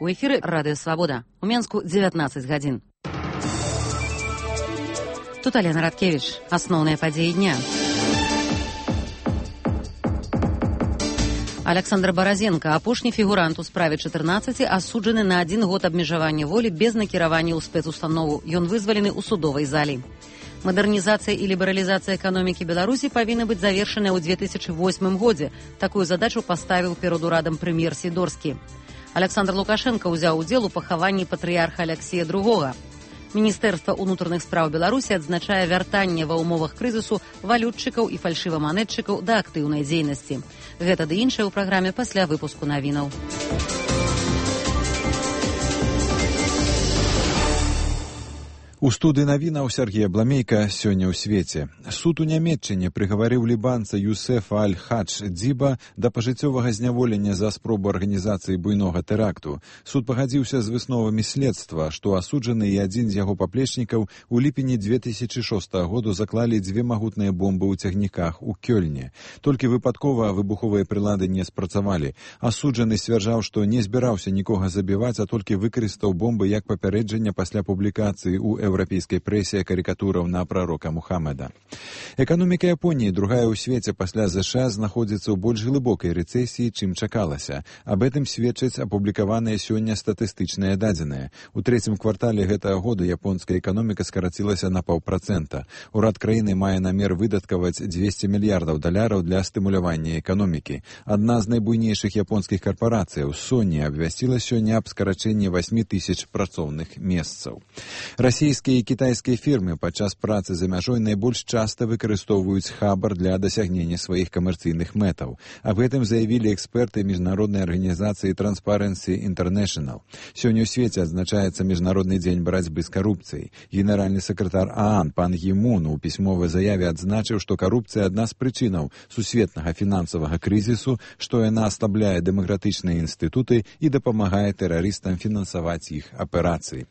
У эфіры Радыё Свабода. У Менску 19 гадзін. Тут Алена Радкевич. Асноўныя падзеі дня. Александр Баразенко, апошні фігурант у справе 14, асуджаны на 1 год абмежавання волі без накіравання ў спецустанову. Ён вызвалены ў судовай залі. Мадэрнізацыя і лібералізацыя эканомікі Беларусі павінны быць завершаныя ў 2008 годзе. Такую задачу паставіў перад урадам прэм'ер Сідорскі. Александр Лукашенко ўзяў удзел у пахаванні патрыярха Алексея II. Міністэрства ўнутраных спраў Беларусі адзначае вяртанне ва ўмовах крызісу валютчыкаў і фальшываманетчыкаў да актыўнай дзейнасці. Гэта ды іншае ў праграме пасля выпуску навінаў. У студыі навінаў Сергея Бламейка сёння ў свеце. Суд у Нямецчыне прыгаварыў лібанца Юсефа Аль-Хадж Дзіба да пажыццёвага зняволення за спробу арганізацыі буйнога тэракту. Суд пагадзіўся з высновамі следства, што асуджаны і адзін з яго паплечнікаў у ліпені 2006 году заклалі 2 магутныя бомбы ў цягніках у Кёльне. Толькі выпадкова выбуховыя прылады не спрацавалі. Асуджаны сцвярджаў, што не збіраўся нікога забіваць, а толькі выкарыстаў бомбы як папярэджання пасля публікацыі ў еўрапейскай прэсе карыкатураў на прарока Мухаммеда. Эканоміка Японіі, другая ў свеце пасля ЗША, знаходзіцца ў больш глыбокай рэцэсіі, чым чакалася. Аб гэтым сведчаць апублікаваныя сёння статыстычныя дадзеныя. У трэцім квартале гэтага году японская эканоміка скарацілася на 0,5%. Урад краіны мае намер выдаткаваць $200 мільярдаў для стымулявання эканомікі. Адна з найбуйнейшых японскіх карпарацыяў, Sony, абвясціла сёння аб скарачэнні 8000 працоўных месцаў. Расійскія і кітайскія фірмы падчас працы за мяжой найбольш часта выкарыстоўваюць хабар для дасягнення сваіх камерцыйных мэтаў. Аб гэтым заявілі эксперты міжнароднай арганізацыі Transparency International. Сёння ў свеце адзначаецца Міжнародны дзень барацьбы з карупцыяй. Генеральны сакратар ААН пан Гі Мун у пісьмовай заяве адзначыў, што карупцыя адна з прычынаў сусветнага фінансавага крызісу, што яна аслабляе дэмакратычныя інстытуты і дапамагае тэрарыстам фінансаваць іх аперацыі.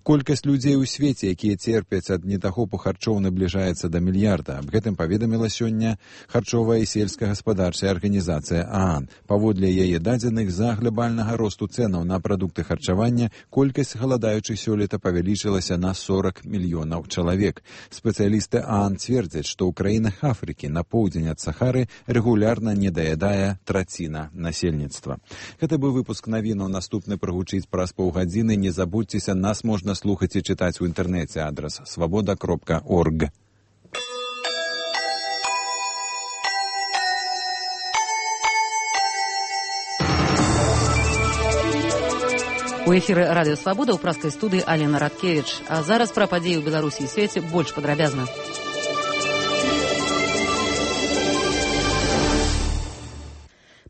Колькасць людзей у свеце, якія церпяць ад недахопу харчоў, набліжаецца да мільярда. Аб гэтым паведаміла сёння харчовая і сельскагаспадарчая арганізацыя ААН. Паводле яе дадзеных, з-за глобальнага росту цэнаў на прадукты харчавання колькасць галадаючых сёлета павялічылася на 40 мільёнаў чалавек. Спецыялісты ААН цвердзяць, што ў краінах Афрыкі на поўдзень ад Сахары рэгулярна недаядае траціна насельніцтва. Гэта быў выпуск навінаў. Наступны прагучыць праз паўгадзіны. Не забудзьцеся, нас можна слухаць і чытаць у інтэрнэце. Адрес svoboda.org. У эфіры Радыё Свабода ў праскай студыі Алена Радкевич. А зараз пра падзеі ў Беларусі і свеце больш падрабязна.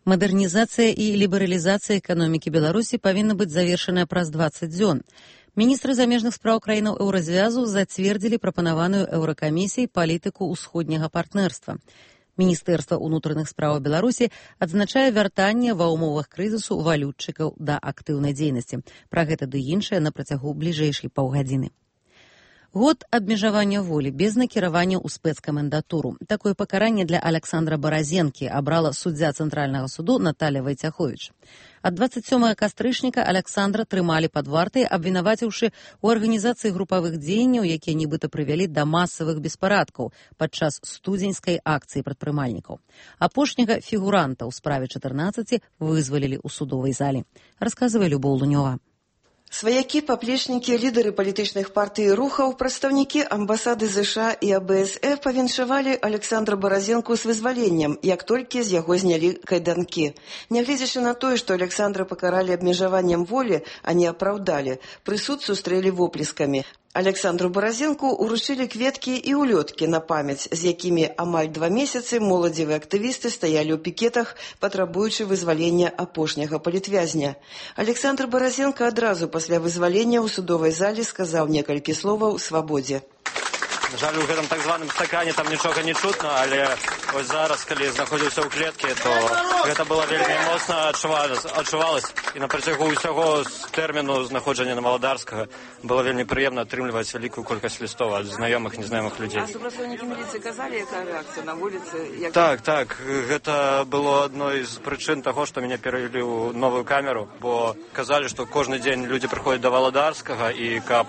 Мадэрнізацыя і лібералізацыя эканомікі Беларусі павінна быць завершаная праз 20 дзён. Міністры замежных спраў краінаў еўразвязу зацвердзілі прапанаваную еўракамісіяй палітыку ўсходняга партнерства. Міністэрства ўнутраных спраў Беларусі адзначае вяртанне ва ўмовах крызісу валютчыкаў да актыўнай дзейнасці. Пра гэта ды іншае на працягу бліжэйшай паўгадзіны. Год абмежавання волі без накіравання ў спецкамендатуру. Такое пакаранне для Александра Баразенкі абрала суддзя Цэнтральнага суду Наталля Вайцяховіч. Ад 27 кастрычніка Александра трымалі пад вартай, абвінаваціўшы ў арганізацыі групавых дзеянняў, якія нібыта прывялі да масавых беспарадкаў падчас студзеньскай акцыі прадпрымальнікаў. Апошняга фігуранта ў справе 14 вызвалілі ў судовай залі. Расказвае Любоў Лунёва. Сваякі, паплечнікі, лідары палітычных партый і рухаў, прадстаўнікі амбасады ЗША і АБСФ павіншавалі Александра Баразенку з вызваленнем, як толькі з яго знялі кайданкі. Нягледзячы на тое, што Александра пакаралі абмежаваннем волі, а не апраўдалі, прысуд сустрэлі воплескамі. Александру Баразенку уручылі кветкі і улёткі на памяць, з якімі амаль 2 месяцы моладзевыя актывісты стаялі ў пікетах, патрабуючы вызвалення апошняга палітвязня. Александр Баразенко адразу пасля вызвалення ў судовай залі сказаў некалькі словаў «Свабодзе». Жаль, у гэтым так званым стакане там нічога не чутно, але Вось зараз, калі знаходзіўся ў клеткі, то гэта было вельмі моцна адчувалася. І на працягу ўсяго тэрміну знаходжання на Валадарскага было вельмі прыемна атрымліваць вялікую колькасць лістов ад знаёмых, незнаёмых людзей. А супрацоўнікі міліцыі казалі, якая рэакцыя на вуліцы? Так, гэта было адной з прычын таго, што мяне перавялі ў новую камеру, бо казалі, што кожны дзень людзі прыходзяць да Валадарскага, і каб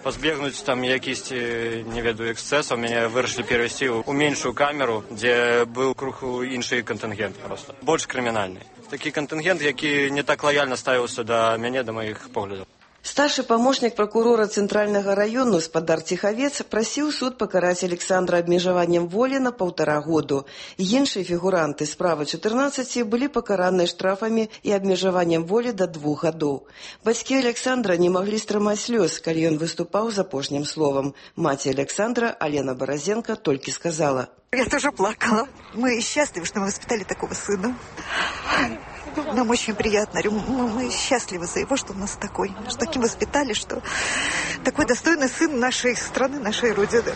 пазбегнуць там якісьці, не ведаю, эксцэсаў, мяне вырашылі перавесці ў меншую камеру, дзе быў крыху іншы кантынгент проста, больш крымінальны. Такі кантынгент, які не так лаяльна ставіўся да мяне, да маіх поглядаў. Старший помощник прокурора Центрального района Спадар Тиховец просил суд покарать Александра обмежеванием воли на 1,5 года. Іншие фигуранты справа 14 были покараны штрафами и обмежеванием воли до 2 годов. Бацьки Александра не могли стрымать слез, когда он выступал за апошним словом. Мать Александра, Алена Борозенко, только сказала: «Я тоже плакала. Мы счастливы, что мы воспитали такого сына. Нам очень приятно. Мы счастливы за его, что он у нас такой. Что таким воспитали, что такой достойный сын нашей страны, нашей Родины».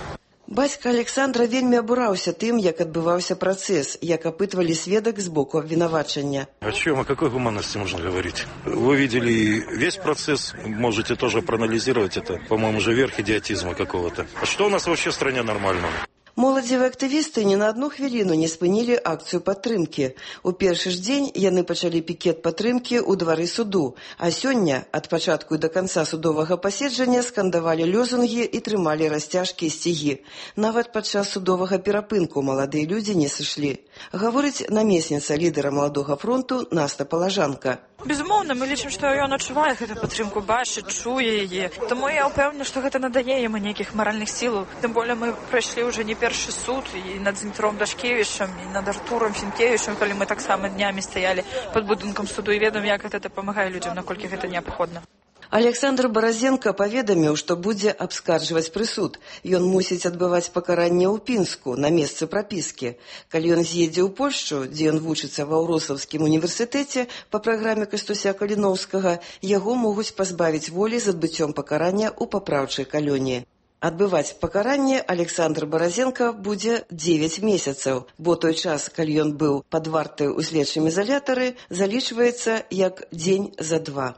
Бацька Александра вельмі абураўся тым, як адбываўся працэс, як апытвалі сведак з боку обвинувачення. О чем, о какой гуманности можно говорить? Вы видели весь процесс, можете тоже проанализировать это. По-моему, же верх идиотизма какого-то. А что у нас вообще в стране нормального? Моладзевыя актывісты ні на одну хвіліну не спынілі акцыю падтрымкі. У першы ж дзень яны пачалі пікет падтрымкі ў двары суду, а сёння ад пачатку і да канца судовага паседжання скандавалі лёзунгі і трымалі расцяжкі і сцігі. Нават падчас судовага перапынку маладыя людзі не сышлі. Гаворыць намесніца лідара Маладога фронту Наста Палажанка. Безумоўна, мы лічым, што ён адчувае гэту падтрымку, бачыць, чуе яе. Таму я ўпэўнена, што гэта надае яму нейкіх маральных сілаў. Тым более мы прайшлі ўжо не першы суд і над Дмітром Дашкевічам, і над Артуром Фінкевічам, калі мы таксама днямі стаялі пад будынкам суду і ведаем, як гэта дапамагае людзям, наколькі гэта неабходна. Александр Борозенко паведаміў, што будзе абскарджваць прысуд. Ён мусіць адбываць пакаранне ў Пінску, на месцы прапіскі. Калі ён з'едзе ў Польшчу, дзе ён вучыцца ва Ўросаўскім універсітэце па праграме Кастуся Каліноўскага, яго могуць пазбавіць волі з адбыццём пакарання ў папраўчай калоніі. Адбываць пакаранне Александр Борозенко будзе 9 месяцаў, бо той час, калі ён быў пад вартай у следчым изолятары, залічваецца як дзень за 2.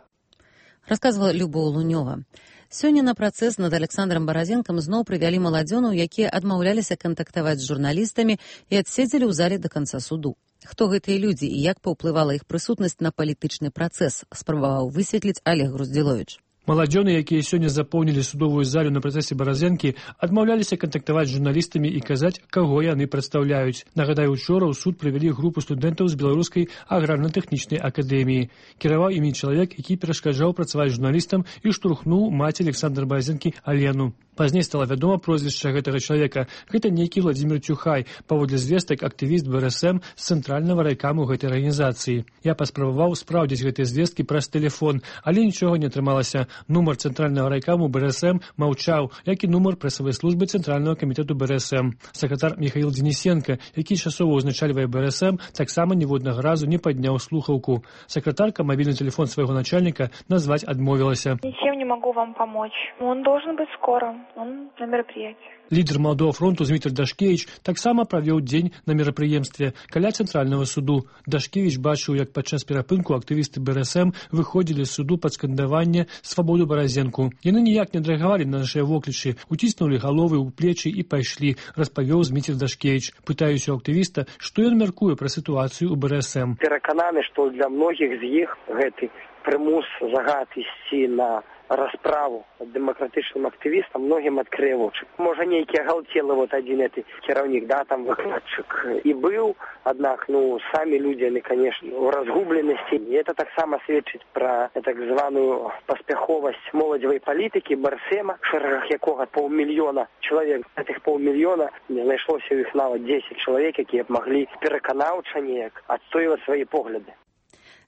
Расказвала Любоў Лунёва. Сёння на працэс над Александром Борозенкам зноў прывялі маладзёнаў, якія адмаўляліся кантактаваць з журналістамі і адседзелі ў зале да канца суду. Хто гэтыя людзі і як паўплывала іх прысутнасць на палітычны працэс, спрабаваў высветліць Олег Груздзіловіч. Маладзёны, якія сёння запоўнілі судовую залю на працэсе Баразенкі, адмаўляліся кантактаваць з журналістамі і казаць, каго яны прадстаўляюць. Нагадаю, учора ў суд прывялі групу студэнтаў з Беларускай аграрна-тэхнічнай акадэміі. Кіраваў імі чалавек, які перашкаджаў працаваць журналістам і штурхнуў маці Александра Баразенкі Алену. Пазней стала вядома прозвішча гэтага чалавека. Гэта нейкі Владзімир Цюхай, паводле звестак актывіст БРСМ з цэнтральнага райкаму гэтай арганізацыі. Я паспрабаваў спраўдзіць гэтыя звесткі праз тэлефон, але нічога не атрымалася. Нумар цэнтральнага райкаму БРСМ маўчаў, як і нумар прэсавай службы цэнтральнага камітэту БРСМ. Сакратар Михаил Денисенко, які часова ўзначальвае БРСМ, таксама ніводнага разу не падняў слухаўку. Сакратарка мабільны тэлефон свайго начальніка назваць адмовілася. Ничем не могу вам помочь. Он должен быть скоро. Он на мероприятии. Лідер Маладога фронту Дмітрий Дашкевіч таксама правёў дзень на мерапрыемстве каля цэнтральнага суду. Дашкевіч бачыў, як падчас перапынку актывісты БРСМ выходзілі з суду пад скандаванне «Свабоду Баразенку». Яны ніяк не адрэагавалі на нашыя воклічы, уціснулі галовы ў плечы і пайшлі, распавёў Дмітрий Дашкевіч. Пытаюся ў актывіста, што ён мяркуе пра сітуацыю ў БРСМ. Перакананы, што для многіх з іх гэты прымус, загад ісці на расправу дэмакратычным актывістам многім адкрые вочы. Можа, нейкі агалтелы адзін гэты кіраўнік, там выкладчык і быў, аднак, самі людзі, яны, конечно, у разгубленасці. І это таксама сведчыць пра так званую паспяховасць моладзевай палітыкі БРСМа, в шэрагах якога 500 000 чалавек. Гэтых 500 000 знайшлося ў іх нават 10 чалавек, якія б маглі пераканаўча неяк адстойваць свае погляды.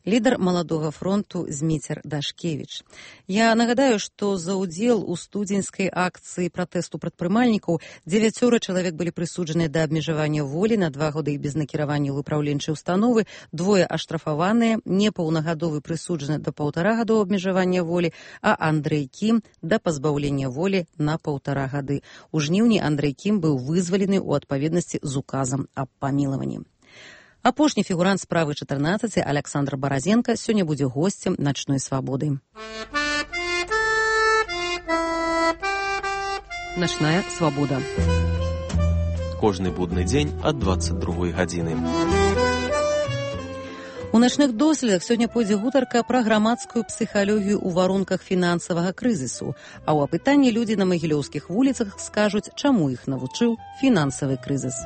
лідар маладога фронту Зміцер Дашкевіч. Я нагадаю, што за ўдзел у студзеньскай акцыі пратэсту прадпрымальнікаў 9 чалавек былі прысуджаныя да абмежавання волі на 2 гады без накіравання ў выпраўленчай установы, 2 аштрафаваныя, непаўнагадовы прысуджаны да 1,5 гадоў абмежавання волі, а Андрэй Кім да пазбаўлення волі на 1,5 гады. У жніўні Андрэй Кім быў вызвалены ў адпаведнасці з указам аб памілаванні. Апошні фігурант справы 14, Александр Баразенка, сёння будзе госцем начной свабоды. Начная свабода. Кожны будны дзень ад 22 гадзіны. У начных доследах сёння пойдзе гутарка пра грамадскую псіхалогію ў варунках фінансавага крызісу, а ў апытанні людзі на магілёўскіх вуліцах скажуць, чаму іх навучыў фінансавы крызіс.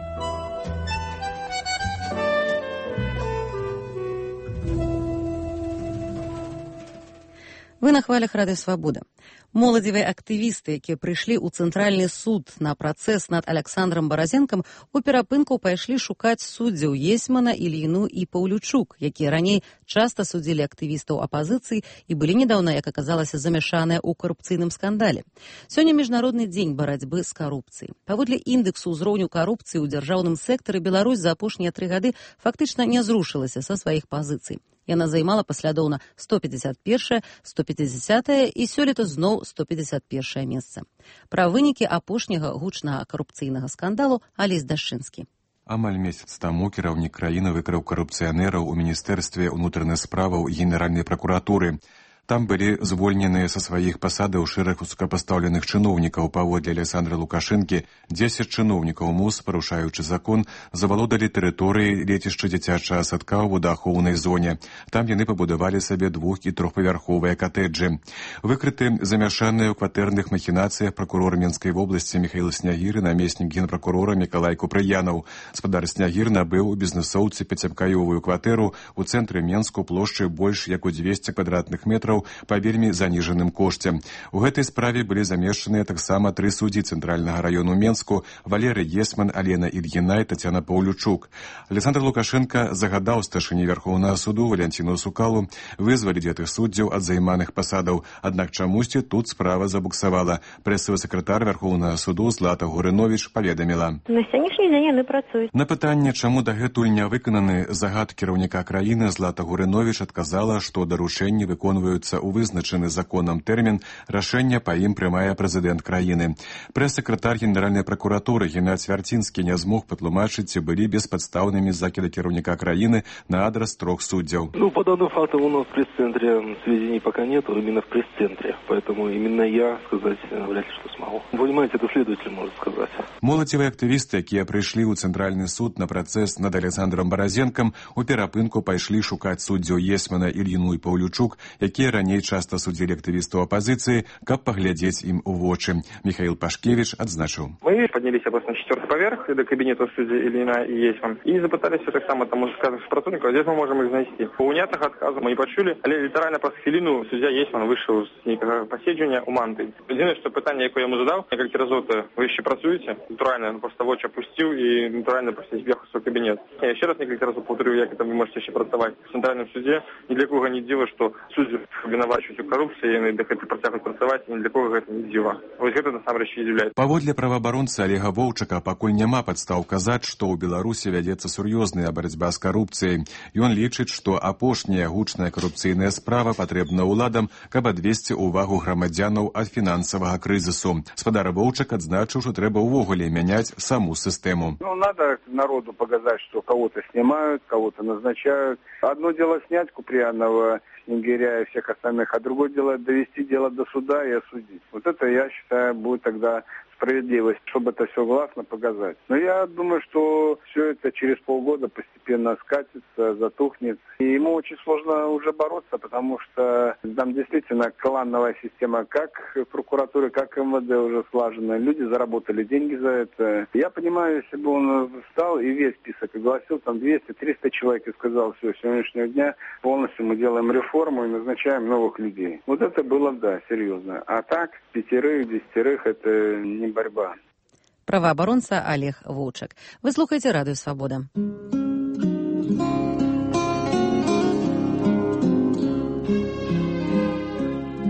Вы на хвалях Радыё Свабода. Моладзевыя актывісты, якія прыйшлі ў цэнтральны суд на працэс над Александром Баразенкам, у перапынку пайшлі шукаць суддзяў Есьмана, Ільіну і Паўлючук, якія раней часта судзілі актывістаў апазіцыі і былі недаўна, як аказалася, замяшаныя ў карупцыйным скандале. Сёння міжнародны дзень барацьбы з карупцыяй. Паводле індексу ўзроўню карупцыі ў дзяржаўным сектары Беларусь за апошнія 3 гады фактычна не зрушылася са сваіх пазіцый. Яна займала паслядоўна 151, 150 і сёлета зноў 151 месца. Пра вынікі апошняга гучнага карупцыйнага скандалу Алесь Дашчынскі. Амаль месяц таму кіраўнік краіны выкрыў карупцыянераў у міністэрстве ўнутраных справаў Генеральнай пракуратуры. Там былі звольненыя са сваіх пасадаў шэраг высокапастаўленых чыноўнікаў. Паводле Александра Лукашэнкі, 10 чыноўнікаў МУС, парушаючы закон, завалодалі тэрыторыі лецішча дзіцячага садка ў водаахоўнай зоне. Там яны пабудавалі сабе 2- і 3-павярховыя катэджы. Выкрыты замяшаныя ў кватэрных махінацыях пракурор Менскай вобласці Міхаіл Снягір і намеснік генпракурора Мікалай Купрыянаў. Спадар Снягір набыў у бізнэсоўцы 5-пакаёвую кватэру ў цэнтры Менску плошчай больш як у 200 квадратных метраў па вельмі заніжаным кошце. У гэтай справе былі замешчаныя таксама 3 суддзі цэнтральнага раёну Менску: Валерый Есьман, Алена Ільіна і Тацяна Паўлючук. Александр Лукашенко загадаў старшыні Вярхоўнага суду Валянціну Сукалу вызваліць гэтых суддзяў ад займаных пасадаў. Аднак чамусьці тут справа забуксавала. Прэсавы сакратар Вярхоўнага суду Злата Гурыновіч паведаміла: на сённяшні дзень яны працуюць. На пытанне, чаму дагэтуль не выкананы загад кіраўніка краіны, Злата Гурыновіч адказала, што даручэнні выконваюцца у вызначаны законам тэрмін, рашэнне па ім прымае прэзідэнт краіны. Прэс-сакратар Генеральнай пракуратуры Геннадзь Свярцінскі не змог патлумачыць, ці былі беспадстаўнымі закіды кіраўніка краіны на адрас 3 суддзяў. По данным фактам у нас в пресс-центре сведений пока нет, именно в пресс-центре. Поэтому именно я сказать вряд ли что смогу. Вы понимаете, это следователь может сказать. Моладзевыя актывісты, якія прыйшлі ў цэнтральны суд на працэс над Александром Баразенкам, у перапынку пайшлі шукаць суддзяў Есьмана, Ільіну і Паўлючук, якія раней часта судзілі актывістаў апазіцыі, каб паглядзець ім у вочы. Михаил Пашкевич адзначыў: мы поднялись на 4-й поверх до кабинета судьи Ильина и Есьман и запытались так само там сказать сотрудников, здесь мы можем их занести. По унятых отказов мы не почули, але литерально по хвилину судья Есьман вышел с посідження у манти. Єдине, що питання, яке я йому задав, кілька разів ви ще працюєте, натурально просто в очі опустив і натурально просто з'їхав в свій кабінет. Я ще раз кілька разів повторю, як ви можете ще працювати в центральному суді. Ні для кого не діло, що судді обвинувачують у корупції, і де хочуть працювати працювати, ні для кого це не діло. Ось це насамрэч і з'являється. Паводле праваабаронцы Олега Воўчака, пакуль няма падстаў казаць, што ў Беларусі вядзецца сур'ёзная барацьба з карупцыяй. Ён лічыць, што апошняя гучная карупцыйная справа патрэбна ўладам, каб адвесці ўвагу грамадзянаў ад фінансавага крызісу. Спадар Воўчак адзначыў, што трэба ўвогуле мяняць саму сістэму. Надо народу показать, что кого-то снимают, кого-то назначают. Одно дело снять Куприянова, Снегиря и всех остальных, а другое дело довести дело до суда и осудить. Вот это, я считаю, будет тогда справедливость, чтобы это все гласно показать. Но я думаю, что все это через полгода постепенно скатится, затухнет. И ему очень сложно уже бороться, потому что там действительно клановая система, как в прокуратуре, как в МВД уже слажена. Люди заработали деньги за это. Я понимаю, если бы он встал и весь список огласил, там 200-300 человек, и сказал: все, с сегодняшнего дня полностью мы делаем реформу и назначаем новых людей. Вот это было, да, серьезно. А так, 5-10 это не борьба. Праваабаронца Олег Воўчак. Вы слухаеце Радыё Свабода.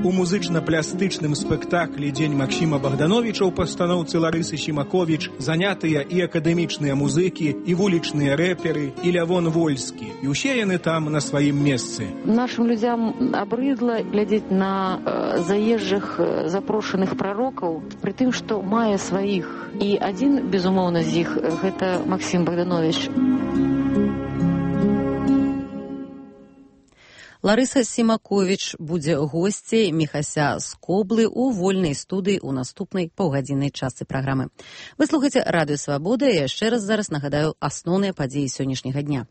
у музычна-плястычным спектаклі «Дзень Максіма Богдановича» ў пастаноўцы Ларысы Сімаковіч занятыя і акадэмічныя музыкі, і вулічныя рэперы, і Лявон Вольскі. І ўсе яны там на сваім месцы. Нашим людям абрыдла глядзець на заезжых запрошаных прарокаў, пры тым, што мае сваіх. І адзін, безумоўна, з іх – гэта Максім Богданович. Ларыса Сімаковіч будзе госцей Міхася з Коблы ў вольнай студыі ў наступнай паўгадзіннай частцы праграмы. Вы слухаеце Радыё Свабода, і яшчэ раз зараз нагадаю асноўныя падзеі сённяшняга дня.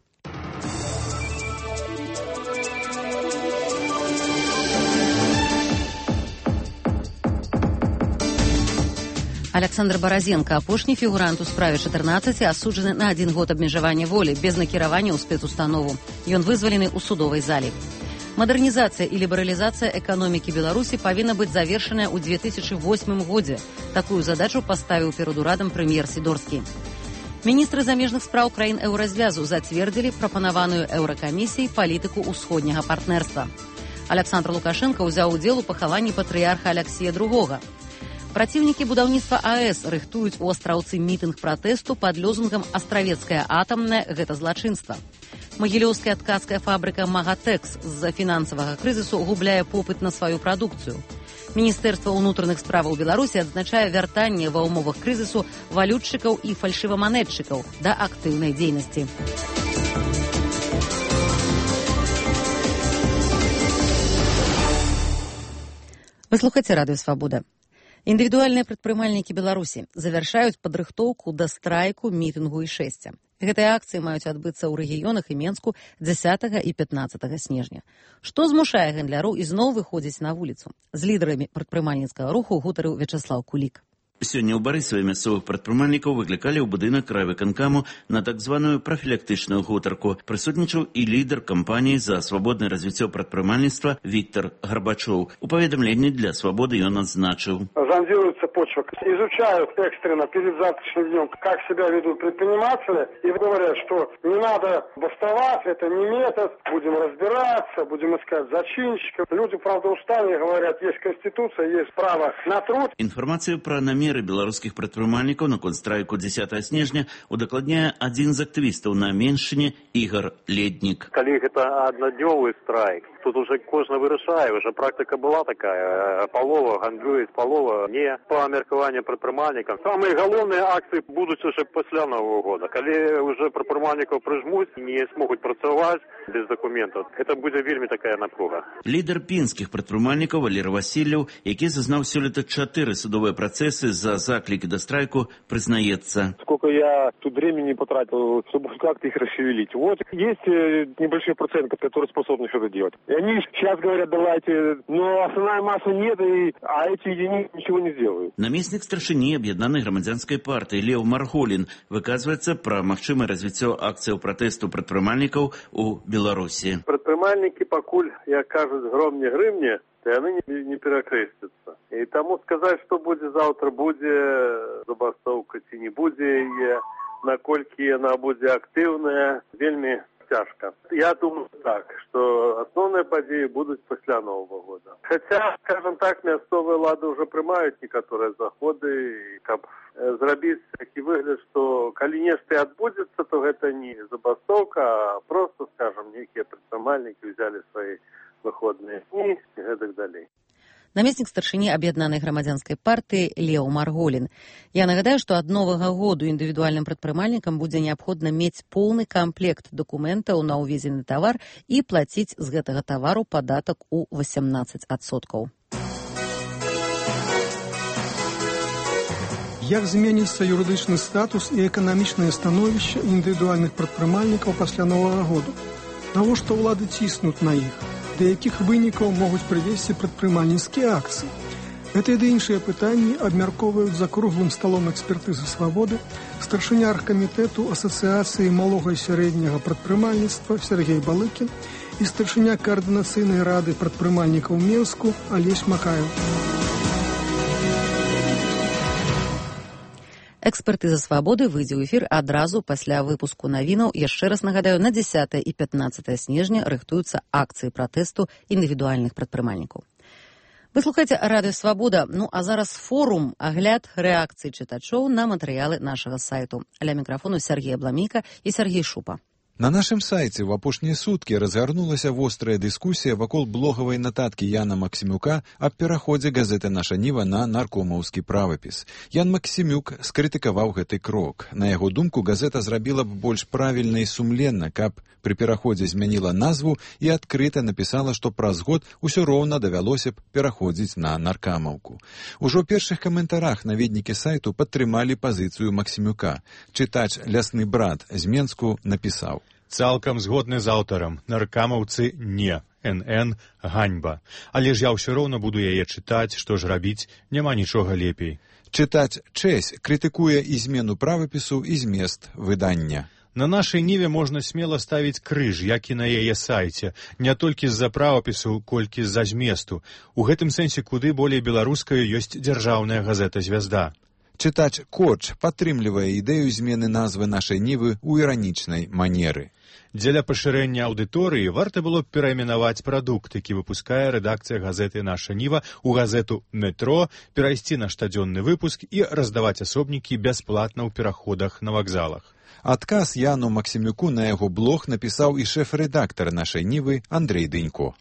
Александр Баразенко, апошні фігурант у справе 14, асуджаны на 1 год абмежавання волі без накіравання ў спецустанову. Ён вызвалены ў судовай залі. Мадэрнізацыя і лібералізацыя эканомікі Беларусі павінна быць завершаная ў 2008 годзе. Такую задачу паставіў перад урадам прэм'ер Сідорскі. Міністры замежных спраў краін еўразвязу зацвердзілі прапанаваную еўракамісіяй палітыку ўсходняга партнерства. Александр Лукашенко ўзяў удзел у пахаванні патрыярха Алексія II. Праціўнікі будаўніцтва АЭС рыхтуюць у Астраўцы мітынг пратэсту пад лозунгам «Астравецкая атамная – гэта злачынства». Магілёўская ткацкая фабрыка «Магатэкс» з-за фінансавага крызісу губляе попыт на сваю прадукцыю. Міністэрства ўнутраных справаў Беларусі адзначае вяртанне ва ўмовах крызісу валютчыкаў і фальшываманетчыкаў да актыўнай дзейнасці. Вы слухаеце Радыё Свабода. Індывідуальныя прадпрымальнікі Беларусі завяршаюць падрыхтоўку да страйку, мітынгу і шэсця. Гэтыя акцыі маюць адбыцца ў рэгіёнах і Менску 10 і 15 снежня. Што змушае гандляроў ізноў выходзіць на вуліцу? З лідарамі прадпрымальніцкага руху гутарыў Вячаслаў Кулік. Сёння ў Барысаве мясцовых прадпрымальнікаў выклікалі ў будынак райвыканкаму на так званую прафілактычную гутарку. Прысутнічаў і лідар кампаніі за свабоднае развіццё прадпрымальніцтва Віктор Гарбачоў. У паведамленні для «Свободы» ён адзначыў. Зондируется почва, изучают экстренно перед завтрашним днем, как себя ведут предприниматели, и говорят, что не надо бастовать, это не метод, будем разбираться, будем искать зачинщиков. Люди, правда, устали, говорят, есть конституция, есть право на труд. Інфармацыю пра намеры беларускіх прадпрымальнікаў на констрайку 10 снежня удакладняе адзін з актывістаў на Меншыне Ігор Леднік. Калі гэта аднаднёвы страйк, тут уже кожны вырашае, уже практыка была такая, палова гандлююць, палова не па меркаванню прадпрымальнікам. Самыя галоўныя акцыі будуць уже пасля Нового года. Калі уже прадпрымальнікаў прыжмуць, не смогуць працаваць без дакументаў, гэта будзе вельмі такая напруга. Лідар пінскіх прадпрымальнікаў Валерий Васильев, які зазнаў сёлета 4 судовыя працэсы за заклики до страйку, признается. Сколько я тут времени потратил, чтобы как-то их расшевелить. Вот есть небольшой процент, который способны что-то делать. И они сейчас говорят, давайте, но основная масса нет, а эти единицы ничего не сделают. Намеснік старшыні аб'яднанай грамадзянскай партыі Леў Марголін выказваецца пра магчымае развіццё акцыяў пратэсту прадпрымальнікаў у Беларусі. Прадпрымальнікі пакуль, як кажуць, гром не грымне, то яны не перакрэсцяцца. І таму сказаць, што будзе заўтра, будзе забастоўка ці не будзе яе, наколькі яна будзе актыўная, вельмі цяжка. Я думаю так, што асноўныя падзеі будуць пасля Нового года. Хаця, скажем так, мясцовыя ўлады ўжо прымаюць некаторыя заходы, каб зрабіць такі выгляд, што калі нешта адбудзецца, то гэта не забастоўка, а просто, скажем, нейкія прадпрымальнікі ўзялі свае выходныя дні і гэтак далей. Намеснік старшыні аб'яднанай грамадзянскай партыі Леў Марголін. Я нагадаю, што ад новага году індывідуальным прадпрымальнікам будзе неабходна мець поўны камплект дакументаў на ўвезены тавар і плаціць з гэтага тавару падатак у 18%. Як зменіцца юрыдычны статус і эканамічнае становішча індывідуальных прадпрымальнікаў пасля новага году? Навошта ўлады ціснуць на іх? Да якіх вынікаў могуць прывесці прадпрымальніцкія акцыі? Гэта і іншыя пытанні абмяркоўваюць за круглым сталом экспертызы «Свабоды» старшыня аргкамітэту Асацыяцыі малога і сярэдняга прадпрымальніцтва Сергей Балыкін і старшыня каардынацыйнай рады прадпрымальнікаў Менску Алесь Макаев. Экспертыза «Свабоды» выйдзе ў эфір адразу пасля выпуску навінаў. Яшчэ раз нагадаю, на 10 і 15 снежня рыхтуюцца акцыі пратэсту індывідуальных прадпрымальнікаў. Вы слухаеце радыё Свабода. Ну а зараз форум, агляд рэакцый чытачоў на матэрыялы нашага сайту. Ля мікрафону Сергей Абламейка і Сергей Шупа. На нашым сайце ў апошнія суткі разгарнулася вострая дыскусія вакол блогавай нататкі Яна Максімюка аб пераходзе газеты «Наша Ніва» на наркомаўскі правапіс. Ян Максімюк скрытыкаваў гэты крок. На яго думку, газета зрабіла б больш правільна і сумленна, каб пры пераходзе змяніла назву і адкрыта напісала, што праз год усё роўна давялося б пераходзіць на наркамаўку. Ужо ў першых каментарах наведнікі сайту падтрымалі пазіцыю Максімюка. Чытач «Лясны брат» з Менску напісаў: «Цалкам згодны з аўтарам. Наркамаўцы не. НН ганьба. Але ж я ўсё роўна буду яе чытаць, што ж рабіць, няма нічога лепей». Чытач Чэсь крытыкуе і змену правапісу, і змест выдання. На нашай ніве можна смела ставіць крыж, як і на яе сайце, не толькі з-за правапісу, колькі з-за зместу. У гэтым сэнсе куды болей беларуская ёсць дзяржаўная газета «Звязда». Чытач Коч падтрымлівае ідэю змены назвы нашай нівы ў іранічнай манеры. Дзеля пашырэння аўдыторыі варта было б перайменаваць прадукт, які выпускае рэдакцыя газеты «Наша Ніва» у газету «Метро», перайсці на штодзённы выпуск і раздаваць асобнікі бясплатна ў пераходах на вакзалах. Адказ Яну Максімюку на яго блог напісаў і шэф-рэдактар нашай нівы Андрэй Дынько.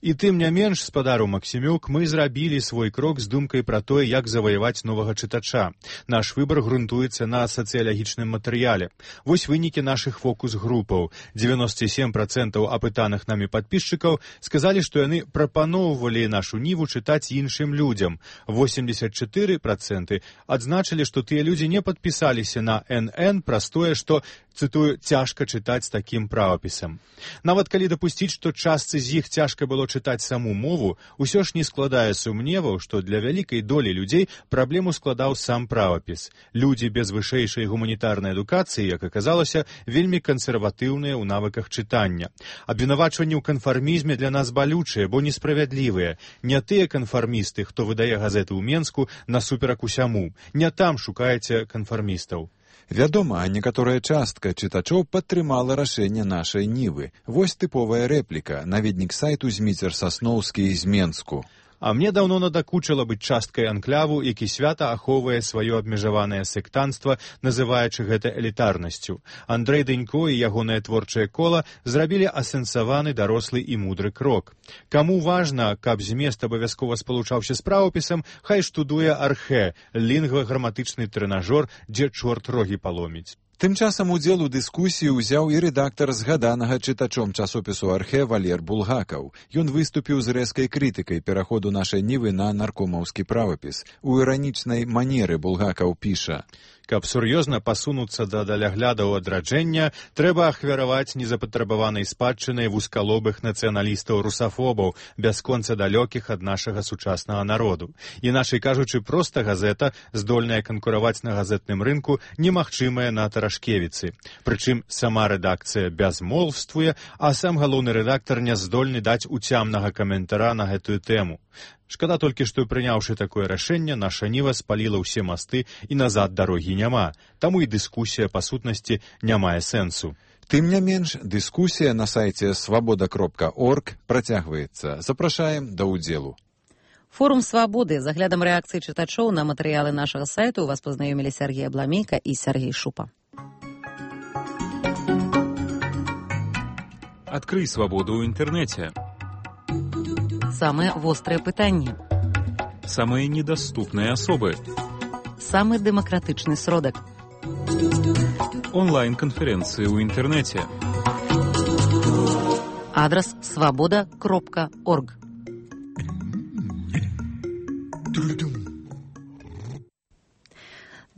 І тым не менш, спадару Максімюк, мы зрабілі свой крок з думкай пра тое, як заваяваць новага чытача. Наш выбар грунтуецца на сацыялагічным матэрыяле. Вось вынікі нашых фокус-групаў. 97% апытаных намі падпісчыкаў сказалі, што яны прапаноўвалі нашу ніву чытаць іншым людзям. 84% адзначылі, што тыя людзі не падпісаліся на НН праз тое, што, цытую, цяжка чытаць такім правапісам. Нават калі дапусціць, што частцы з іх цяжка было чытаць саму мову, усё ж не складае сумневаў, што для вялікай долі людзей праблему складаў сам правапіс. Людзі без вышэйшай гуманітарнай адукацыі, як аказалася, вельмі кансерватыўныя ў навыках чытання. Абвінавачванні ў канфармізме для нас балючыя, бо несправядлівыя. Не тыя канфармісты, хто выдае газеты ў Менску, насуперак усяму. Не там шукаеце канфармістаў. Вядома, некаторая частка чытачоў падтрымала рашэнне нашай нівы. Вось тыповая рэпліка, наведнік сайту Зміцер Сасноўскі з Менску. А мне даўно надакучыла быць часткай анклаву, які свята ахоўвае сваё абмежаванае сектанства, называючы гэта элітарнасцю. Андрэй Дынько і ягонае творчае кола зрабілі асэнсаваны дарослы і мудры крок. Каму важна, каб змест абавязкова спалучаўся з правапісам, хай штудуе архэ, лінгва-граматычны трэнажор, дзе чорт рогі паломіць. Тым часам удзел у дыскусіі ўзяў і рэдактар згаданага чытачом часопісу «Архэ» Валер Булгакаў. Ён выступіў з рэзкай крытыкай пераходу нашай нівы на наркомаўскі правапіс. У іранічнай манеры Булгакаў піша: «Каб сур'ёзна пасунуцца да даляглядаў адраджэння, трэба ахвяраваць незапатрабаванай спадчынай вузкалобых нацыяналістаў-русафобаў, бясконца далёкіх ад нашага сучаснага народу. Іначай кажучы, проста газета, здольная канкураваць на газетным рынку, немагчымая на Тарашкевіцы. Прычым сама рэдакцыя бязмолвствуе, а сам галоўны рэдактар не здольны даць уцямнага каментара на гэтую тэму. Шкада толькі, што прыняўшы такое рашэнне, наша ніва спаліла ўсе масты і назад дарогі няма. Таму і дыскусія, па сутнасці, не мае сэнсу». Тым не менш, дыскусія на сайце свабода.орг працягваецца. Запрашаем да ўдзелу. Форум «Свабоды» з аглядам рэакцыі чытачоў на матэрыялы нашага сайту у вас пазнаёмілі Сергей Абламейка і Сергей Шупа. Адкрый свабоду ў інтэрнэце. Самыя вострыя пытанні. Самыя недаступныя асобы. Самы дэмакратычны сродак. Онлайн-канферэнцыі ў інтэрнэце. Адрас свабода.орг.